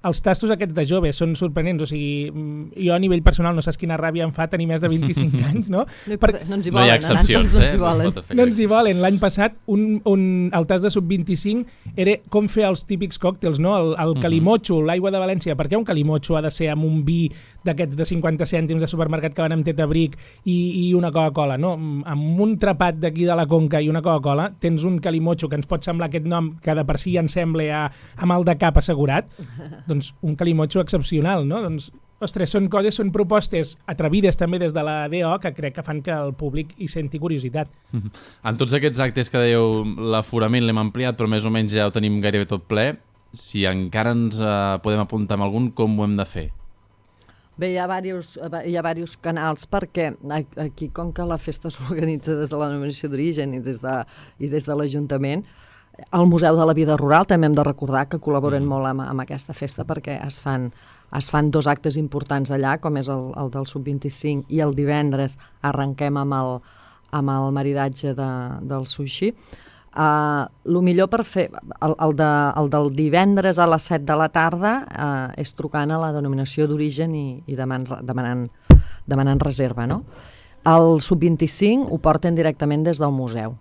els tastos aquests de jove són sorprenents, o sigui, jo a nivell personal no saps quina ràbia em fa tenir més de vint-i-cinc anys, no? No, per... no ens hi volen, no hi ha excepcions, no eh? ens hi volen. No ens hi volen. L'any passat, un, un, el tast de sub vint-i-cinc era com fer els típics còctels, no? El, el calimocho, l'aigua de València. Per què un calimocho ha de ser amb un vi d'aquests de cinquanta cèntims de supermercat que van amb tetabric i, i una Coca-Cola, no? Amb un trapat d'aquí de la Conca i una Coca-Cola tens un calimocho que ens pot semblar aquest nom que de per si ja ens sembla a, a mal de cap assegurat, doncs un calimocho excepcional, no? Doncs, ostres, són coses, són propostes atrevides també des de la D O que crec que fan que el públic hi senti curiositat. En tots aquests actes que dèieu, l'aforament l'hem ampliat, però més o menys ja ho tenim gairebé tot ple. Si encara ens eh, podem apuntar amb algun, com ho hem de fer? Bé, hi ha diversos, hi ha diversos canals perquè aquí, com que la festa s'organitza des de la denominació d'origen i des de, i des de l'Ajuntament, el Museu de la Vida Rural també hem de recordar que col·laboren mm. molt amb, amb aquesta festa perquè es fan, es fan dos actes importants allà, com és el, el del sub vint-i-cinc i el divendres arrenquem amb el, amb el maridatge de, del sushi. Uh, el millor per fer, el, el, de, el del divendres a les set de la tarda uh, és trucant a la denominació d'origen i, i demanant, demanant, demanant reserva, no? El sub vint-i-cinc ho porten directament des del museu.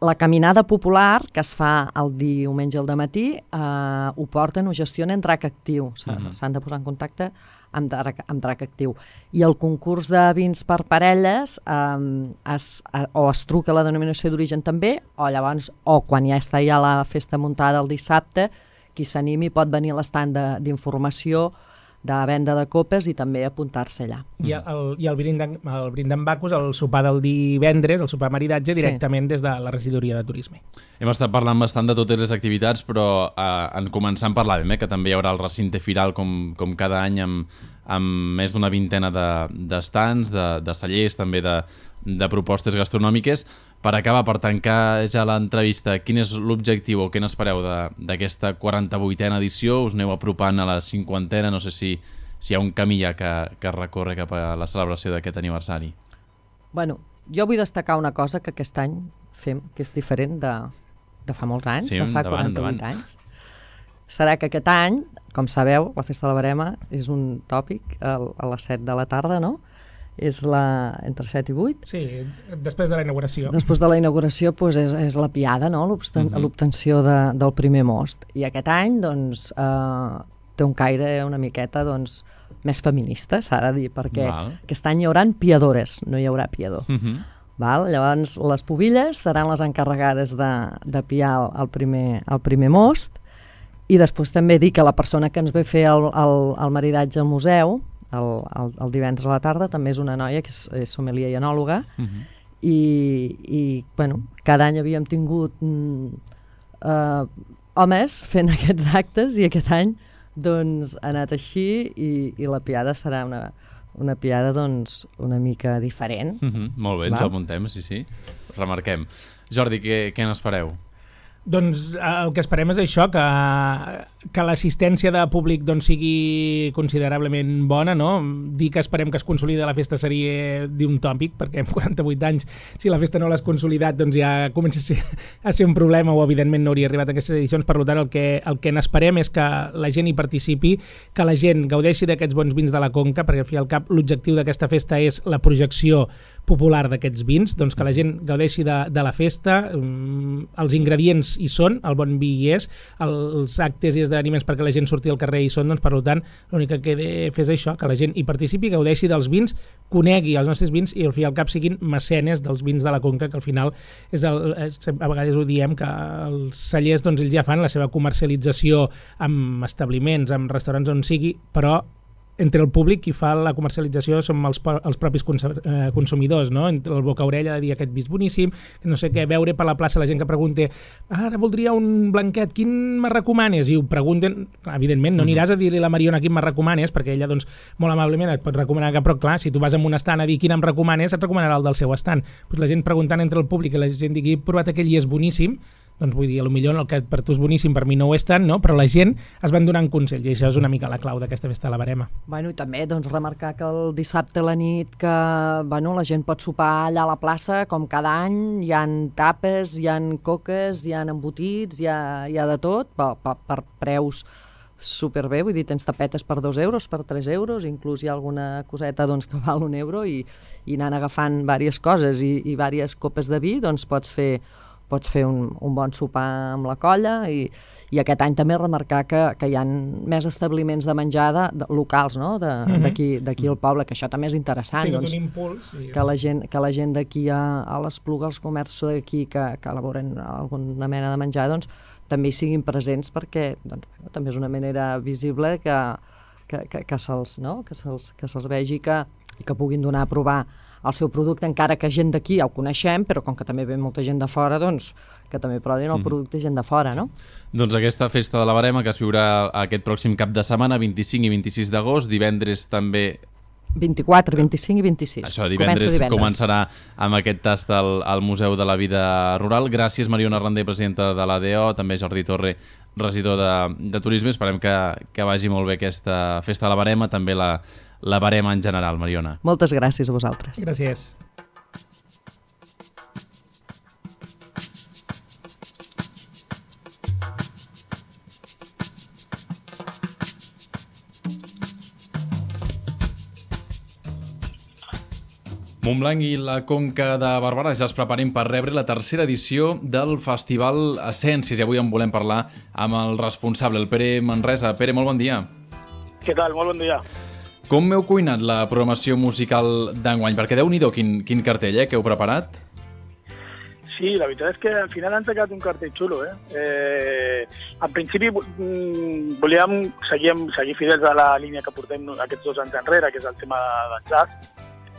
La caminada popular, que es fa el diumenge al dematí, eh, ho porten, ho gestionen Drac Actiu. S'han uh-huh. de posar en contacte amb Drac, amb Drac Actiu. I el concurs de vins per parelles eh, es, eh, o es truca a la denominació d'origen també, o llavors, o quan ja està ja la festa muntada el dissabte, qui s'animi pot venir a l'estand d'informació de venda de copes i també apuntar-se allà. I el, i el brindar amb Bacus, el sopar del divendres, el sopar maridatge, directament sí. des de la regidoria de turisme. Hem estat parlant bastant de totes les activitats, però eh, en començant parlàvem eh, que també hi haurà el recinte firal com, com cada any amb, amb més d'una vintena d'estants, de, de, de cellers, també de, de propostes gastronòmiques. Per acabar, per tancar ja l'entrevista, quin és l'objectiu o què n'espereu d'aquesta quaranta-vuitena edició? Us aneu apropant a la cinquantena? No sé si, si hi ha un camí ja que, que recorre cap a la celebració d'aquest aniversari. Bueno, jo vull destacar una cosa que aquest any fem, que és diferent de, de fa molts anys, sí, de fa endavant, quaranta-vuit endavant. anys. Serà que aquest any, com sabeu, la Festa de la Verema és un tòpic a, a les set de la tarda, no? És la, entre set i vuit. Sí, després de la inauguració. Després de la inauguració pues, és, és la piada, no? L'obtenció uh-huh. de, del primer most. I aquest any doncs, eh, té un caire una miqueta doncs, més feminista, s'ha de dir, perquè Val. Aquest any hi haurà piadores, no hi haurà piador. Uh-huh. Val? Llavors, les pubilles seran les encarregades de, de piar el, el, primer, el primer most, i després també dir que la persona que ens ve fer el, el, el maridatge al museu, El, el, el divendres a la tarda, també és una noia que és, és sommelier i enòloga, uh-huh. i, i bueno, cada any havíem tingut mm, uh, homes fent aquests actes i aquest any doncs, ha anat així i, i la piada serà una, una piada doncs, una mica diferent. Uh-huh. Molt bé, ens ho apuntem, sí, sí. Remarquem. Jordi, què, què n'espereu? Doncs el que esperem és això, que, que l'assistència de públic doncs, sigui considerablement bona, no? Dir que esperem que es consolida la festa seria d'un tòpic, perquè amb quaranta-vuit anys, si la festa no l'has consolidat, doncs ja comença a ser, a ser un problema o evidentment no hauria arribat a aquestes edicions. Per tant, el que, el que n'esperem és que la gent hi participi, que la gent gaudeixi d'aquests bons vins de la Conca, perquè al fi i al cap l'objectiu d'aquesta festa és la projecció popular d'aquests vins, doncs que la gent gaudeixi de, de la festa, els ingredients hi són, el bon vi hi és, els actes i esdeveniments perquè la gent surti al carrer hi són, doncs per tant l'únic que queda fer és això, que la gent hi participi, gaudeixi dels vins, conegui els nostres vins i al fi i al cap siguin mecenes dels vins de la Conca, que al final és el, és, a vegades ho diem, que els cellers doncs, ells ja fan la seva comercialització amb establiments, amb restaurants on sigui, però entre el públic qui fa la comercialització som els, els propis consumidors, no? Entre el boca-orella de dir aquest vi és boníssim, no sé què, veure per la plaça la gent que pregunta ara voldria un blanquet, quin me recomanes? I ho pregunten, evidentment, no aniràs a dir-li a la Mariona quin me recomanes, perquè ella doncs, molt amablement et pot recomanar, però clar, si tu vas a un estant a dir quin em recomanes, et recomanarà el del seu estant. Pues la gent preguntant entre el públic i la gent digui, he provat aquell i és boníssim, doncs vull dir, potser el que per tu és boníssim, per mi no ho és tant, no? Però la gent es van donant consells i això és una mica la clau d'aquesta festa de la Verema. Bueno, i també doncs, remarcar que el dissabte a la nit que bueno, la gent pot sopar allà a la plaça, com cada any, hi ha tapes, hi ha coques, hi ha embotits, hi ha, hi ha de tot, per, per, per preus superbé, vull dir, tens tapetes per dos euros, per tres euros, inclús hi ha alguna coseta doncs, que val un euro i, i anant agafant diverses coses i, i diverses copes de vi, doncs pots fer, pots fer un, un bon sopar amb la colla i, i aquest any també remarcar que, que hi ha més establiments de menjar de, de, locals, no? d'aquí Mhm. d'aquí al poble, que això també és interessant. Ha tingut Doncs, un impuls. I... que la gent, que la gent d'aquí a, a l'Espluga, els comerços d'aquí que, que elaboren alguna mena de menjar, doncs també hi siguin presents perquè doncs, bueno, també és una manera visible que, que, que, que se'ls no? que se'ls que se'ls vegi que, i que puguin donar a provar el seu producte, encara que gent d'aquí ja ho coneixem, però com que també ve molta gent de fora, doncs que també provin el producte gent de fora, no? Doncs aquesta festa de la Verema que es viurà aquest pròxim cap de setmana, vint-i-cinc i vint-i-sis d'agost, divendres també... vint-i-quatre, vint-i-cinc i vint-i-sis. Això, divendres, divendres començarà amb aquest tast al, al Museu de la Vida Rural. Gràcies, Mariona Randé, presidenta de l'A D O, també Jordi Torre, regidor de, de Turisme. Esperem que, que vagi molt bé aquesta festa de la Verema, també la, la Verema en general, Mariona. Moltes gràcies a vosaltres. Gràcies. Montblanc i la Conca de Barberà ja es preparen per rebre la tercera edició del Festival Essències i avui en volem parlar amb el responsable, el Pere Manresa. Pere, molt bon dia. Què tal? Molt bon dia. Com m'heu cuinat la programació musical d'enguany? Perquè déu-n'hi-do quin, quin cartell eh, que heu preparat. Sí, la veritat és que al final han sacat un cartell xulo. Eh? Eh, en principi volíem seguir, seguir fidels a la línia que portem aquests dos anys enrere, que és el tema del jazz,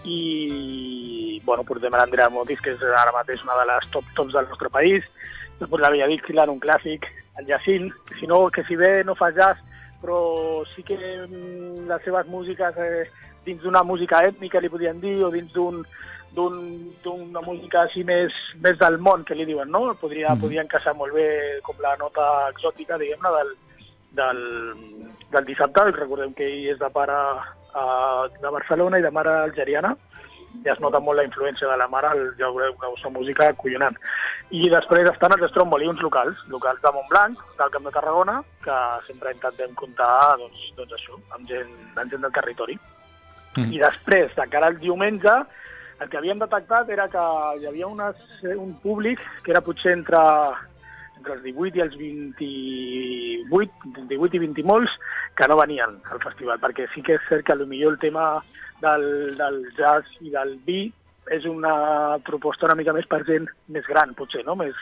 i bueno, portem l'Andrea Motis, que és ara mateix una de les top tops del nostre país, després la Bella Dixieland, un clàssic, el Jacint, que si, no, que si bé no fa jazz, però sí que les seves músiques eh, dins d'una música ètnica, li podien dir, o dins d'un d'una música així més, més del món, que li diuen, no? Podria, mm. Podria encaixar molt bé com la nota exòtica, diguem-ne, del, del, del dissabte. Recordem que ell és de pare de Barcelona i de mare algeriana, ja es nota molt la influència de la mare, ja veureu una vostra música acollonant. I després estan els estrombolions locals, locals de Montblanc, del Camp de Tarragona, que sempre intentem comptar doncs, doncs això, amb gent, amb gent del territori. Mm. I després, de cara al diumenge, el que havíem detectat era que hi havia unes, un públic que era potser entre entre els divuit i els vint-i-vuit, divuit i vint i molts, que no venien al festival, perquè sí que és cert que potser el tema del, del jazz i del vi és una proposta una mica més per gent més gran, potser, no? Més,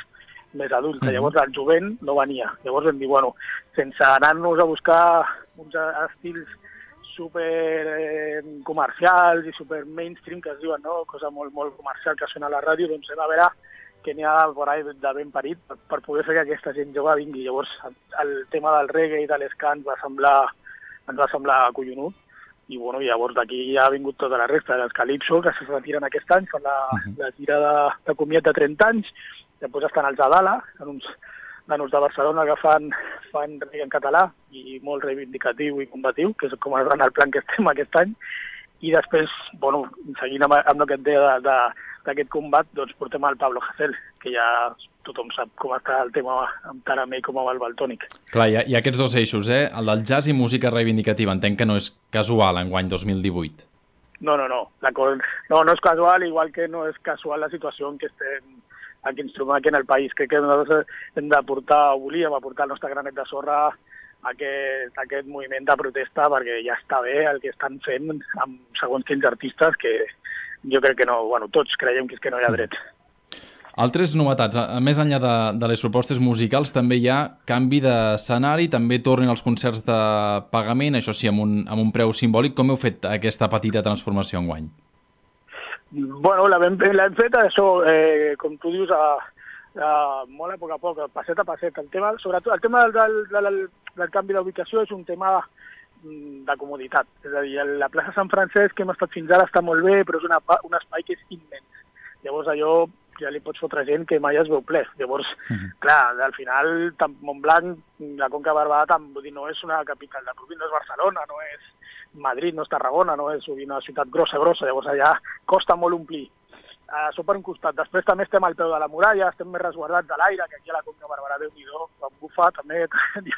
més adulta. Mm-hmm. Llavors el jovent no venia. Llavors vam dir, bueno, sense anar-nos a buscar uns estils super eh, comercials i super mainstream, que es diuen, no? Cosa molt, molt comercial que sona a la ràdio, doncs hem a veure que n'hi ha por ahí de ben parit per, per poder fer que aquesta gent jove vingui. Llavors, el tema del reggae i de l'escant va semblar, ens va semblar acollonut, i bueno, llavors d'aquí ja ha vingut tota la resta, els Calypso, que se retiren aquest any, fan la, uh-huh. la gira de, de comiat de trenta anys, després estan els Adala, són uns nanos de Barcelona que fan, fan reggae en català, i molt reivindicatiu i combatiu, que és com en el plan que estem aquest any, i després, bueno, seguint amb, amb el que et deia de, de, d'aquest combat, doncs portem el Pablo Hasél, que ja tothom sap com està el tema tant amb ell com amb el Valtònic. Clar, hi ha, hi ha aquests dos eixos, eh? El del jazz i música reivindicativa. Entenc que no és casual enguany dos mil divuit. No, no, no. No, no és casual, igual que no és casual la situació en què estem, en què ens trobem aquí en el país. Crec que nosaltres hem de portar, o volíem aportar el nostre granet de sorra aquest, aquest moviment de protesta, perquè ja està bé el que estan fent amb segons quins artistes que jo crec que no, bueno, tots creiem que és que no hi ha dret. Altres novetats, a més enllà de, de les propostes musicals, també hi ha canvi d'escenari, també tornen els concerts de pagament, això sí, amb un, amb un preu simbòlic. Com heu fet aquesta petita transformació enguany? Bueno, l'hem fet això, eh, com tu dius, a, a, molt a poc a poc, passet a passet. El tema, sobretot, el tema del, del, del, del canvi d'ubicació és un tema de comoditat. És a dir, la plaça Sant Francesc que hem estat fins ara està molt bé, però és una, un espai que és immens. Llavors allò ja li pots fotre gent que mai es veu ple. Llavors, uh-huh. clar, al final, Montblanc, la Conca de Barberà, vull dir, no és una capital de província, no és Barcelona, no és Madrid, no és Tarragona, no és una ciutat grossa, grossa, llavors allà costa molt omplir. això per un costat. Després també estem al peu de la muralla, estem més resguardats de l'aire, que aquí a la Conca Barberà, Déu-n'hi-do, quan bufa també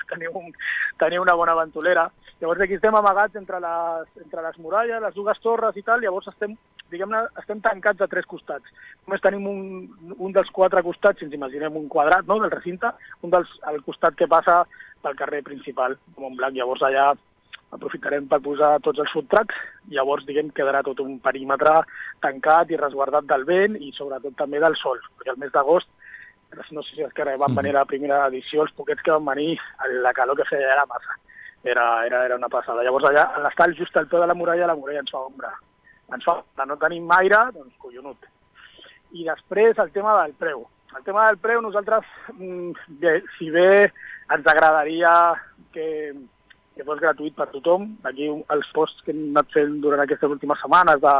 teniu, un, teniu una bona ventolera. Llavors aquí estem amagats entre les, entre les muralles, les dues torres i tal, llavors estem, diguem-ne, estem tancats a tres costats. Només tenim un, un dels quatre costats, si ens imaginem un quadrat, no?, del recinte, un dels, al costat que passa pel carrer principal, de Montblanc. Llavors allà aprofitarem per posar tots els food trucks, llavors, diguem, quedarà tot un perímetre tancat i resguardat del vent i sobretot també del sol, perquè el mes d'agost, no sé si és que van venir a la primera edició, els poquets que van venir, la calor que feia era massa, era, era, era una passada. Llavors allà, a l'estar just al peu de la muralla, la muralla ens fa ombra. Ens fa ombra, no tenim aire, doncs collonut. I després el tema del preu. El tema del preu, nosaltres, bé, si bé ens agradaria que que fos gratuït per tothom. Aquí els posts que hem anat fent durant aquestes últimes setmanes de,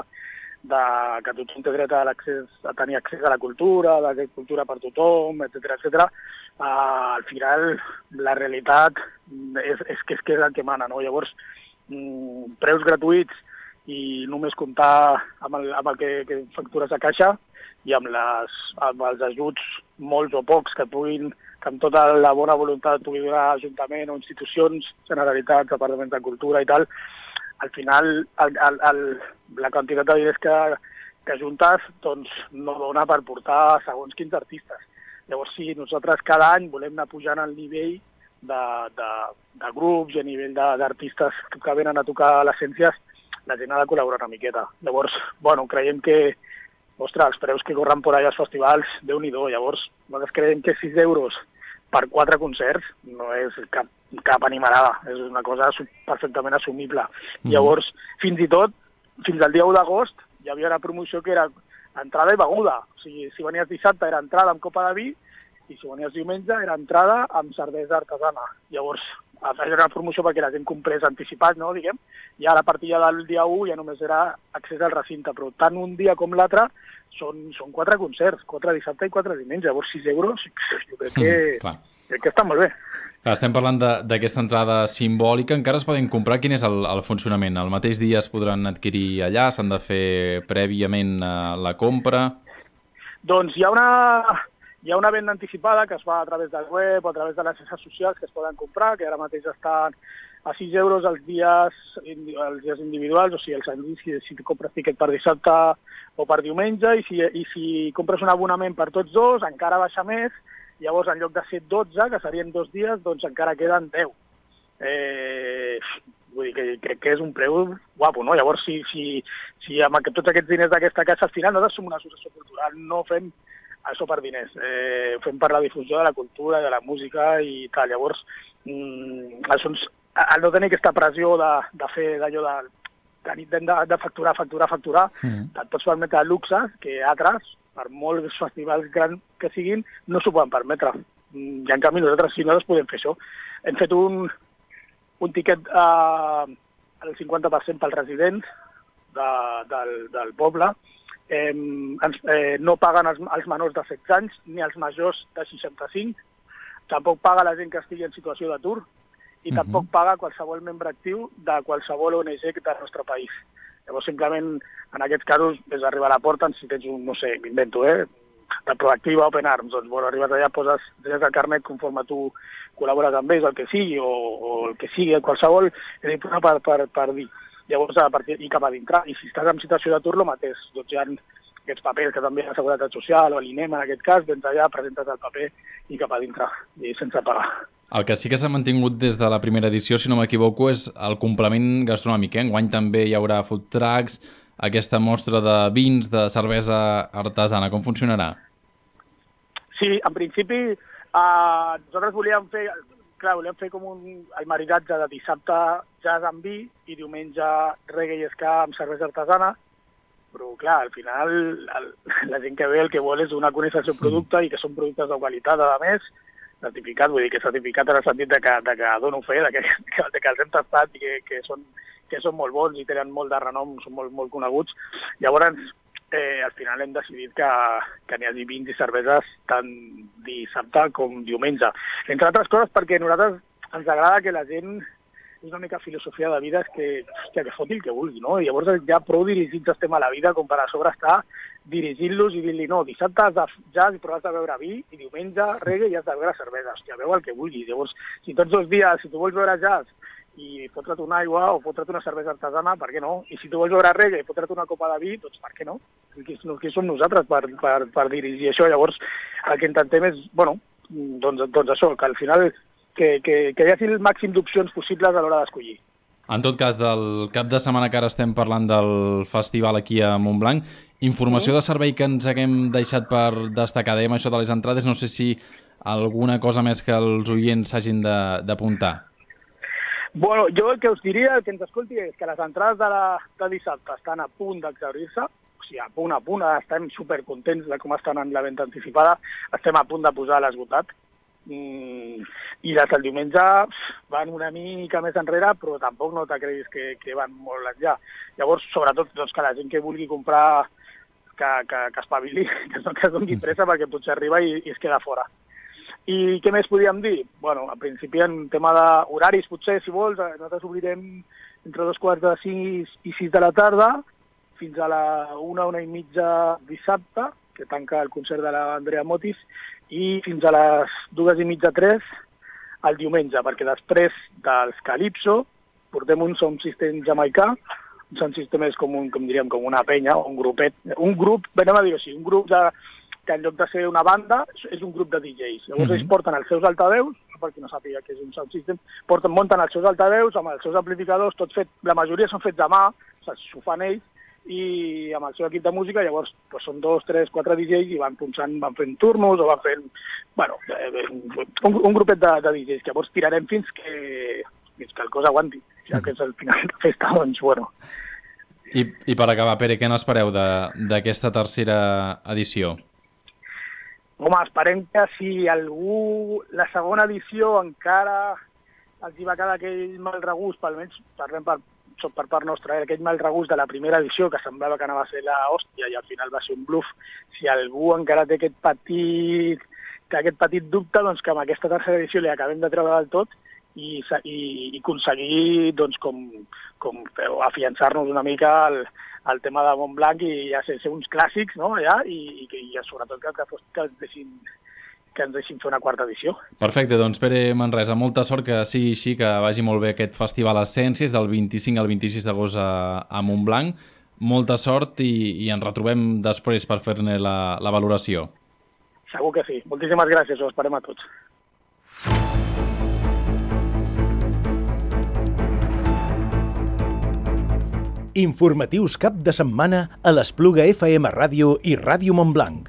de que tothom té dret a, a tenir accés a la cultura, de cultura per tothom, etcètera, etcètera. Uh, al final, la realitat és, és, que, és que és el que mana, no? Llavors, mm, preus gratuïts i només comptar amb el, amb el que, que factures a caixa i amb, les, amb els ajuts, molts o pocs, que puguin, que amb tota la bona voluntat pugui donar Ajuntament o institucions, Generalitat, Departaments de Cultura i tal, al final el, el, el, la quantitat de diners que, que juntes doncs, no dona per portar segons quins artistes. Llavors, sí, nosaltres cada any volem anar pujant el nivell de, de, de grups i a nivell d'artistes que venen a tocar les ciències, la gent ha de col·laborar una miqueta. Llavors, bueno, creiem que ostres, els preus que corren per allà als festivals, Déu-n'hi-do. Llavors, nosaltres creiem que sis euros per quatre concerts no és cap, cap animalada, és una cosa perfectament assumible. Mm. Llavors, fins i tot, fins al dia u d'agost, hi havia una promoció que era entrada i beguda. O sigui, si venies dissabte era entrada amb copa de vi i si venies diumenge era entrada amb cervesa artesana. Llavors, era una promoció perquè la gent comprés anticipat, no, diguem, i ara a partir del dia u ja només era accés al recinte, però tant un dia com l'altre són, són quatre concerts, quatre dissabte i quatre diumenge, llavors sis euros, jo crec que, mm, crec que està molt bé. Clar, estem parlant d'aquesta entrada simbòlica, encara es poden comprar, quin és el, el funcionament? El mateix dia es podran adquirir allà, s'han de fer prèviament la compra? Doncs hi ha una... Hi ha una venda anticipada que es fa a través del web o a través de les xarxes socials que es poden comprar, que ara mateix estan a sis euros els dies, els dies individuals, o sigui, els anys, si, si compres tiquet per dissabte o per diumenge, i si, i si compres un abonament per tots dos, encara baixa més, llavors en lloc de ser dotze, que serien dos dies, doncs encara queden deu. Eh, vull dir que crec que és un preu guapo, no? Llavors, si, si, si amb tots aquests diners d'aquesta casa, al final nosaltres som una associació cultural, no fem això per diners, eh, ho fem per la difusió de la cultura, de la música i tal. Llavors, mm, això ens, al no tenir aquesta pressió de, de fer d'allò de, de, de, de facturar, facturar, facturar, mm. et pots permetre luxes que altres, per molts festivals grans que siguin, no s'ho poden permetre. I en canvi nosaltres sí, nosaltres podem fer això. Hem fet un, un tiquet eh, al cinquanta per cent pels residents de, del, del poble. Eh, ens, eh, no paguen els, els menors de setze anys ni els majors de seixanta-cinc, tampoc paga la gent que estigui en situació d'atur i uh-huh. tampoc paga qualsevol membre actiu de qualsevol O N G del nostre país. Llavors, simplement, en aquests casos, és arribar a la porta, si tens un, no sé, m'invento, eh, de Proactiva, Open Arms, doncs, bueno, arribes allà, poses drets al carnet conforme tu col·labores amb ells, el que sigui, o, o el que sigui, qualsevol, és important per, per, per dir. Llavors, a partir i cap a dintre. I si estàs en situació d'atur, el mateix. Doncs hi ha aquests papers que també la Seguretat Social o l'INEM, en aquest cas, vens allà, presentes el paper i cap a dintre, i sense pagar. El que sí que s'ha mantingut des de la primera edició, si no m'equivoco, és el complement gastronòmic. Eh? Enguany també hi haurà food trucks, aquesta mostra de vins, de cervesa artesana. Com funcionarà? Sí, en principi, eh, nosaltres volíem fer... Clar, volíem fer com un, el maridatge de dissabte jazz amb vi i diumenge reggae i ska amb cervesa artesana, però clar, al final el, la gent que ve el que vol és donar a conèixer el seu producte i que són productes de qualitat, a més, certificat, vull dir que certificat en el sentit de que, de que dono fe, de que, que, de que els hem tastat i que, que, són, que són molt bons i tenen molt de renom, són molt, molt coneguts. Llavors, Eh, al final hem decidit que, que n'hi hagi vins i cerveses tant dissabte com diumenge. Entre altres coses perquè a nosaltres ens agrada que la gent és una mica filosofia de vida, és que, hòstia, que foti el que vulgui, no? I llavors ja prou dirigits estem a la vida com per a sobre estar dirigint-los i dir-li, no, dissabte has de jazz i però has de beure vi, i diumenge reggae i has de beure cervesa, hòstia, veu el que vulguis. Llavors, si tots els dies, si tu vols beure jazz i fotre't una aigua o fotre't una cervesa artesana, per què no? I si tu vols beure reggae i fotre't una copa de vi, doncs per què no? Qui, qui som nosaltres per, per, per dirigir això? Llavors, el que intentem és, bueno, doncs, doncs això, que al final que, que, que hi hagi el màxim d'opcions possibles a l'hora d'escollir. En tot cas, del cap de setmana que ara estem parlant del festival aquí a Montblanc, informació de servei que ens haguem deixat per destacar, dèiem això de les entrades, no sé si alguna cosa més que els oients s'hagin d'apuntar. Bueno, jo el que us diria, el que ens escolti, és que les entrades de, la, de dissabte estan a punt d'exaurir-se, o sigui, a punt, a punt, estem supercontents de com estan en la venda anticipada, estem a punt de posar l'esgotat, mm, i les del diumenge van una mica més enrere, però tampoc no t'acredis que, que van molt enllà. Llavors, sobretot, doncs, que la gent que vulgui comprar, que, que, que espavili, que, que es doni pressa, perquè potser arriba i, i es queda fora. I què més podríem dir? Bueno, al principi en tema d'horaris, potser, si vols, nosaltres obrirem entre dos quarts de sis i sis de la tarda, fins a la una, una i mitja dissabte, que tanca el concert de l'Andrea Motis, i fins a les dues i mitja, tres, el diumenge, perquè després dels Calypso portem un sound system jamaicà, un sound system és com, un, com diríem, com una penya, un grupet, un grup, anem a dir així, un grup de... que en lloc de ser una banda, és un grup de D Js. Llavors mm-hmm. ells porten els seus altaveus, per qui no sàpiga que és un sound system, porten, munten els seus altaveus amb els seus amplificadors, tot fet, la majoria són fets a mà, o sigui, s'ho fan ells, i amb el seu equip de música, llavors pues, són dos, tres, quatre D Js i van punxant, van fent turnos o van fent, bueno, un, un grupet de, de D Js, que llavors tirarem fins que, fins que el cos aguanti, ja que és el final de festa, doncs, bueno. I, i per acabar, Pere, què n'espereu d'aquesta tercera edició? Home, esperem que si algú, la segona edició encara els hi va quedar aquell mal regust, almenys parlem per, per part nostra, eh, aquell mal regust de la primera edició, que semblava que anava a ser l'hòstia i al final va ser un bluff, si algú encara té aquest petit, té aquest petit dubte, doncs que amb aquesta tercera edició li acabem de treure del tot i, i, i aconseguir doncs, com, com afiançar-nos una mica al, el tema de Montblanc i ja sé, ser uns clàssics, no?, allà, i, i, i sobretot que, que, que, ens deixin, que ens deixin fer una quarta edició. Perfecte, doncs Pere Manresa, molta sort que sigui així, que vagi molt bé aquest festival Essències del vint-i-cinc al vint-i-sis d'agost a, a Montblanc. Molta sort i, i ens retrobem després per fer-ne la, la valoració. Segur que sí. Moltíssimes gràcies, ho esperem a tots. Informatius cap de setmana a l'Espluga F M Ràdio i Ràdio Montblanc.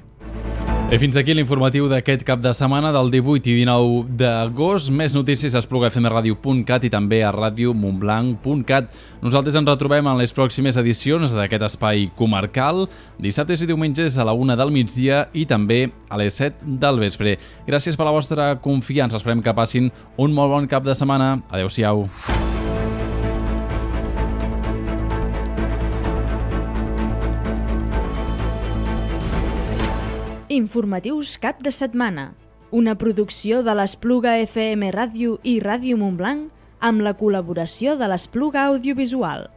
I fins aquí l'informatiu d'aquest cap de setmana del divuit i dinou d'agost. Més notícies a espluga f m radio punt cat i també a radio montblanc punt cat. Nosaltres ens retrobem en les pròximes edicions d'aquest espai comarcal, dissabtes i diumenges a la una del migdia i també a les set del vespre. Gràcies per la vostra confiança. Esperem que passin un molt bon cap de setmana. Adéu-siau. Informatius cap de setmana, una producció de l'Espluga F M Ràdio i Ràdio Montblanc amb la col·laboració de l'Espluga Audiovisual.